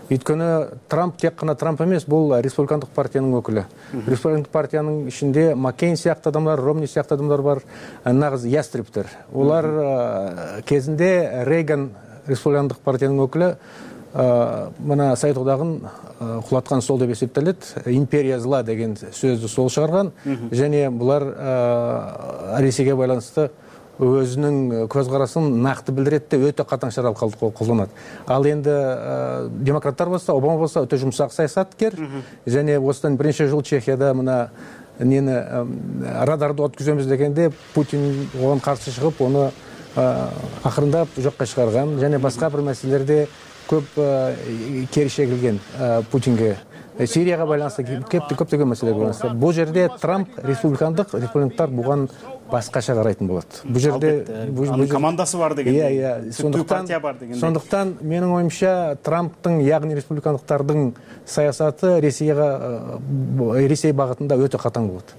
Өйткөнү Трамп тек гана Трамп эмес, бул республикандык партиянын өкүлү. Республикандык партиянын ичинде Маккейн сыяктуу адамдар, Ромни сыяктуу адамдар бар, нагыз ястрептер. Улар кезинде Рейган республикандык партиянын өкүлү мына Совет одагын кулаткан сол деп эсептелет. Империя зла деген сөздү сол чыгарган, және булар Ресейге байланыштуу өзүнүн көз карасын накты билдирет деп өтө катаң чара колдонот. Ал энди демократтар болсо, Обама болсо өтө жумшак саясаткер, және осыдан биринчи жыл Чехияда мына нени радарды өткүзөбүз дегенде Путин оған каршы чыгып, аны акырындап жокко чыгарган, және башка бир маселелерде көп керише келген Путинге. Сирияга байланыштуу көптөгөн маселелер байланыштуу. Бул жерде Трамп республиканттар буган башкача карайтын болот. Бул жерде командасы бар деген. Сондуктан менин оюмча Трамптын, яғни республикандыктардын саясаты Ресей багытында өтө катаң болот.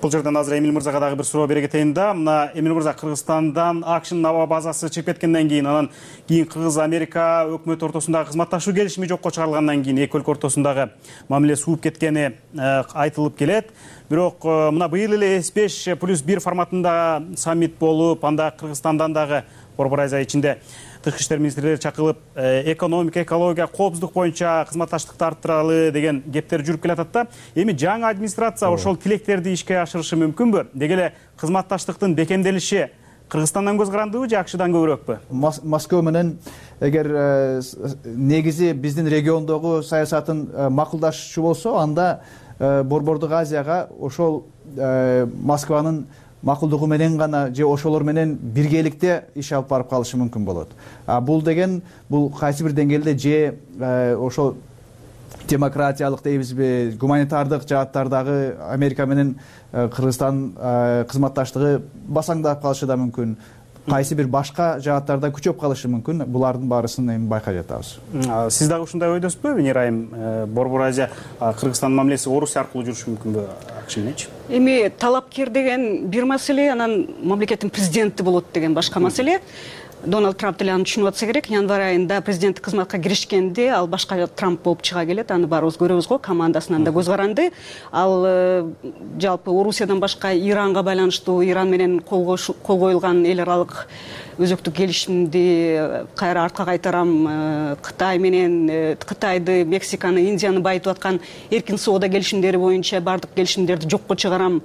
Бул жерден азыр Эмил мырзага дагы бир суроо бере кетейин да. Мына Эмил мырза, Кыргызстандан акшнын аба базасы чыгып кеткенден кийин, анан кийин Кыргыз-Америка өкмөт ортосундагы кызматташуу келишими жокко чыгарылгандан кийин эки өлкө ортосундагы мамиле сууп кеткени айтылып келет. Бирок мына быйыл эле S5+1 форматында саммит болуп, анда Кыргызстандан дагы Борбор Азия ичинде тышкы иштер министрлери чакырылып, экономика, экология, коопсуздук боюнча кызматташтыкты арттыралы деген кептер жүрүп келатат да. Эми жаңы администрация ошол тилектерди ишке ашырышы мүмкүнбү? Деги эле кызматташтыктын бекемделиши Кыргызстандан көз карандыбы же акшдан көбүрөкпү? Москва менен эгер негизи биздин региондогу саясатын макулдашчу болсо, анда Борбордук Азияга ошол Москванын макулдугу менен гана же ошолор менен биргеликте иш алып барып калышы мүмкүн болот. Бул деген бул кайсы бир деңгээлде же ошол демократиялык дейбизби, гуманитардык жааттардагы Америка менен Кыргызстан кызматташтыгы басаңдап калышы да мүмкүн. Кайсы бир башка жааттарда күчөп калышы мүмкүн. Булардын баарысын эми байкай жатабыз. Сиз дагы ушундай ойдосузбу, Нирайым? Борбор Азия Кыргызстандын мамилеси Орусия аркылуу жүрүшү мүмкүнбү акш мененчи? Эми талапкер деген бир маселе, анан мамлекеттин президенти болот деген башка маселе. Дональд Трамп деле аны түшүнүп атса керек. Январь айында президенттик кызматка киришкенде ал башка Трамп болуп чыга келет. Аны баарыбыз көрөбүз го, командасынан да көз каранды. Ал жалпы Орусиядан башка Иранга байланыштуу, Иран менен кол коюлган эл аралык өзөктүк келишимди кайра артка кайтарам, Кытай менен Кытайды, Мексиканы, Индияны байытып аткан эркин соода келишимдери боюнча бардык келишимдерди жокко чыгарам,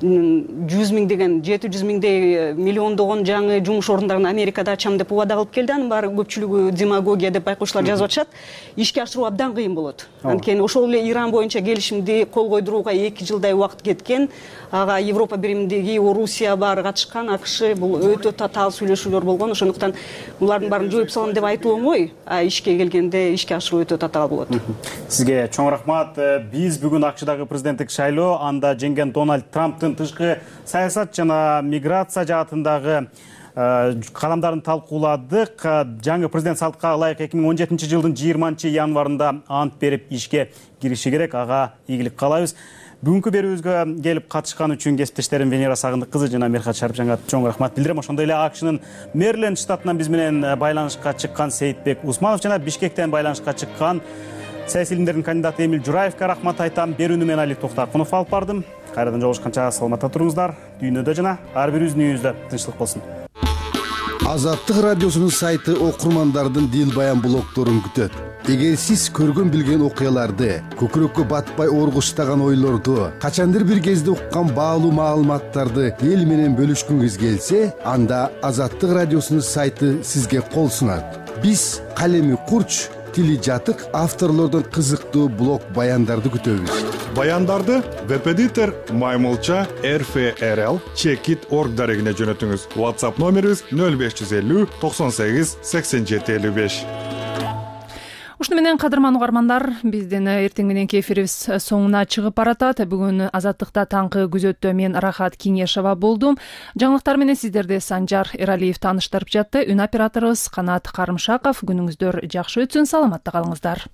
100 миң деген 700 миңдей миллиондогон жаңы жумуш орундарын Америкада ачам деп убада кылып келди. Анын баары көпчүлүгү демагогия деп байкоочулар жазып атышат. Ишке ашыруу абдан кыйын болот. Анткени ошол эле Иран боюнча келишимди кол койдурууга 2 жылдай убакыт кеткен. Ага Европа биримдиги, Орусия баары катышкан, АКШ бул өтө татаал сүйлөшүүлөр болгон. Ошондуктан булардын баарын жоюп салам деп айтуу оңой, ишке келгенде ишке ашыруу өтө татаал болот. Сизге чоң рахмат. Биз бүгүн АКШдагы президенттик шайлоо, анда жеңген Дональд Трамптын тышкы саясат жана миграция жаатындагы кадамдарын талкууладык. Жаңы президент салтка ылайык 2017 жылдын 20 январында ант берип ишке кириши керек. Ага ийгилик каалайбыз. Бүгүнкү берүүбүзгө келип катышкан үчүн кесиптештерим Венера Сагындык кызы жана Мерхат Шарипжанга чоң рахмат билдирем. Ошондой эле АКШнын Мэриленд штатынан биз менен байланышка чыккан Сейитбек Усманов жана Бишкектен байланышка чыккан саясий илимдердин кандидаты Эмил Жураевге рахмат айтам. Берүүнү мен Али Токтакунов алып бардым. Кайрадан жолугушканча саламатта туруңуздар. Дүйнөдө жана ар бирибиздин үйүбүздө тынчтык болсун. Азаттык радиосунун сайты окурмандардын дил баян блогдорун күтөт. Эгер сиз көргөн билген окуяларды, көкүрөккө батпай оргуштаган ойлорду, качандыр бир кезде уккан баалуу маалыматтарды эл менен бөлүшкүңүз келсе, анда Азаттык радиосунун сайты сизге кол сунат. Биз калеми курч, тили жатык авторлордун кызыктуу блог баяндарды күтөбүз. Баяндарды веб-эдитор Маймылча rfrl@org дарегине жөнөтүңүз. WhatsApp номерибиз 0550 98 87 55. Ушуну менен кадырман угармандар, биздин эртең мененки эфирибиз соңуна чыгып баратат. Бүгүн Азаттыкта таңкы күзөттө мен Рахат Кеңешова болдум. Жаңылыктар менен сиздерди Санжар Эралиев тааныштырып жатты. Үн операторубуз Канат Карымшаков. Күнүңүздөр жакшы өтсүн, саламатта калыңыздар.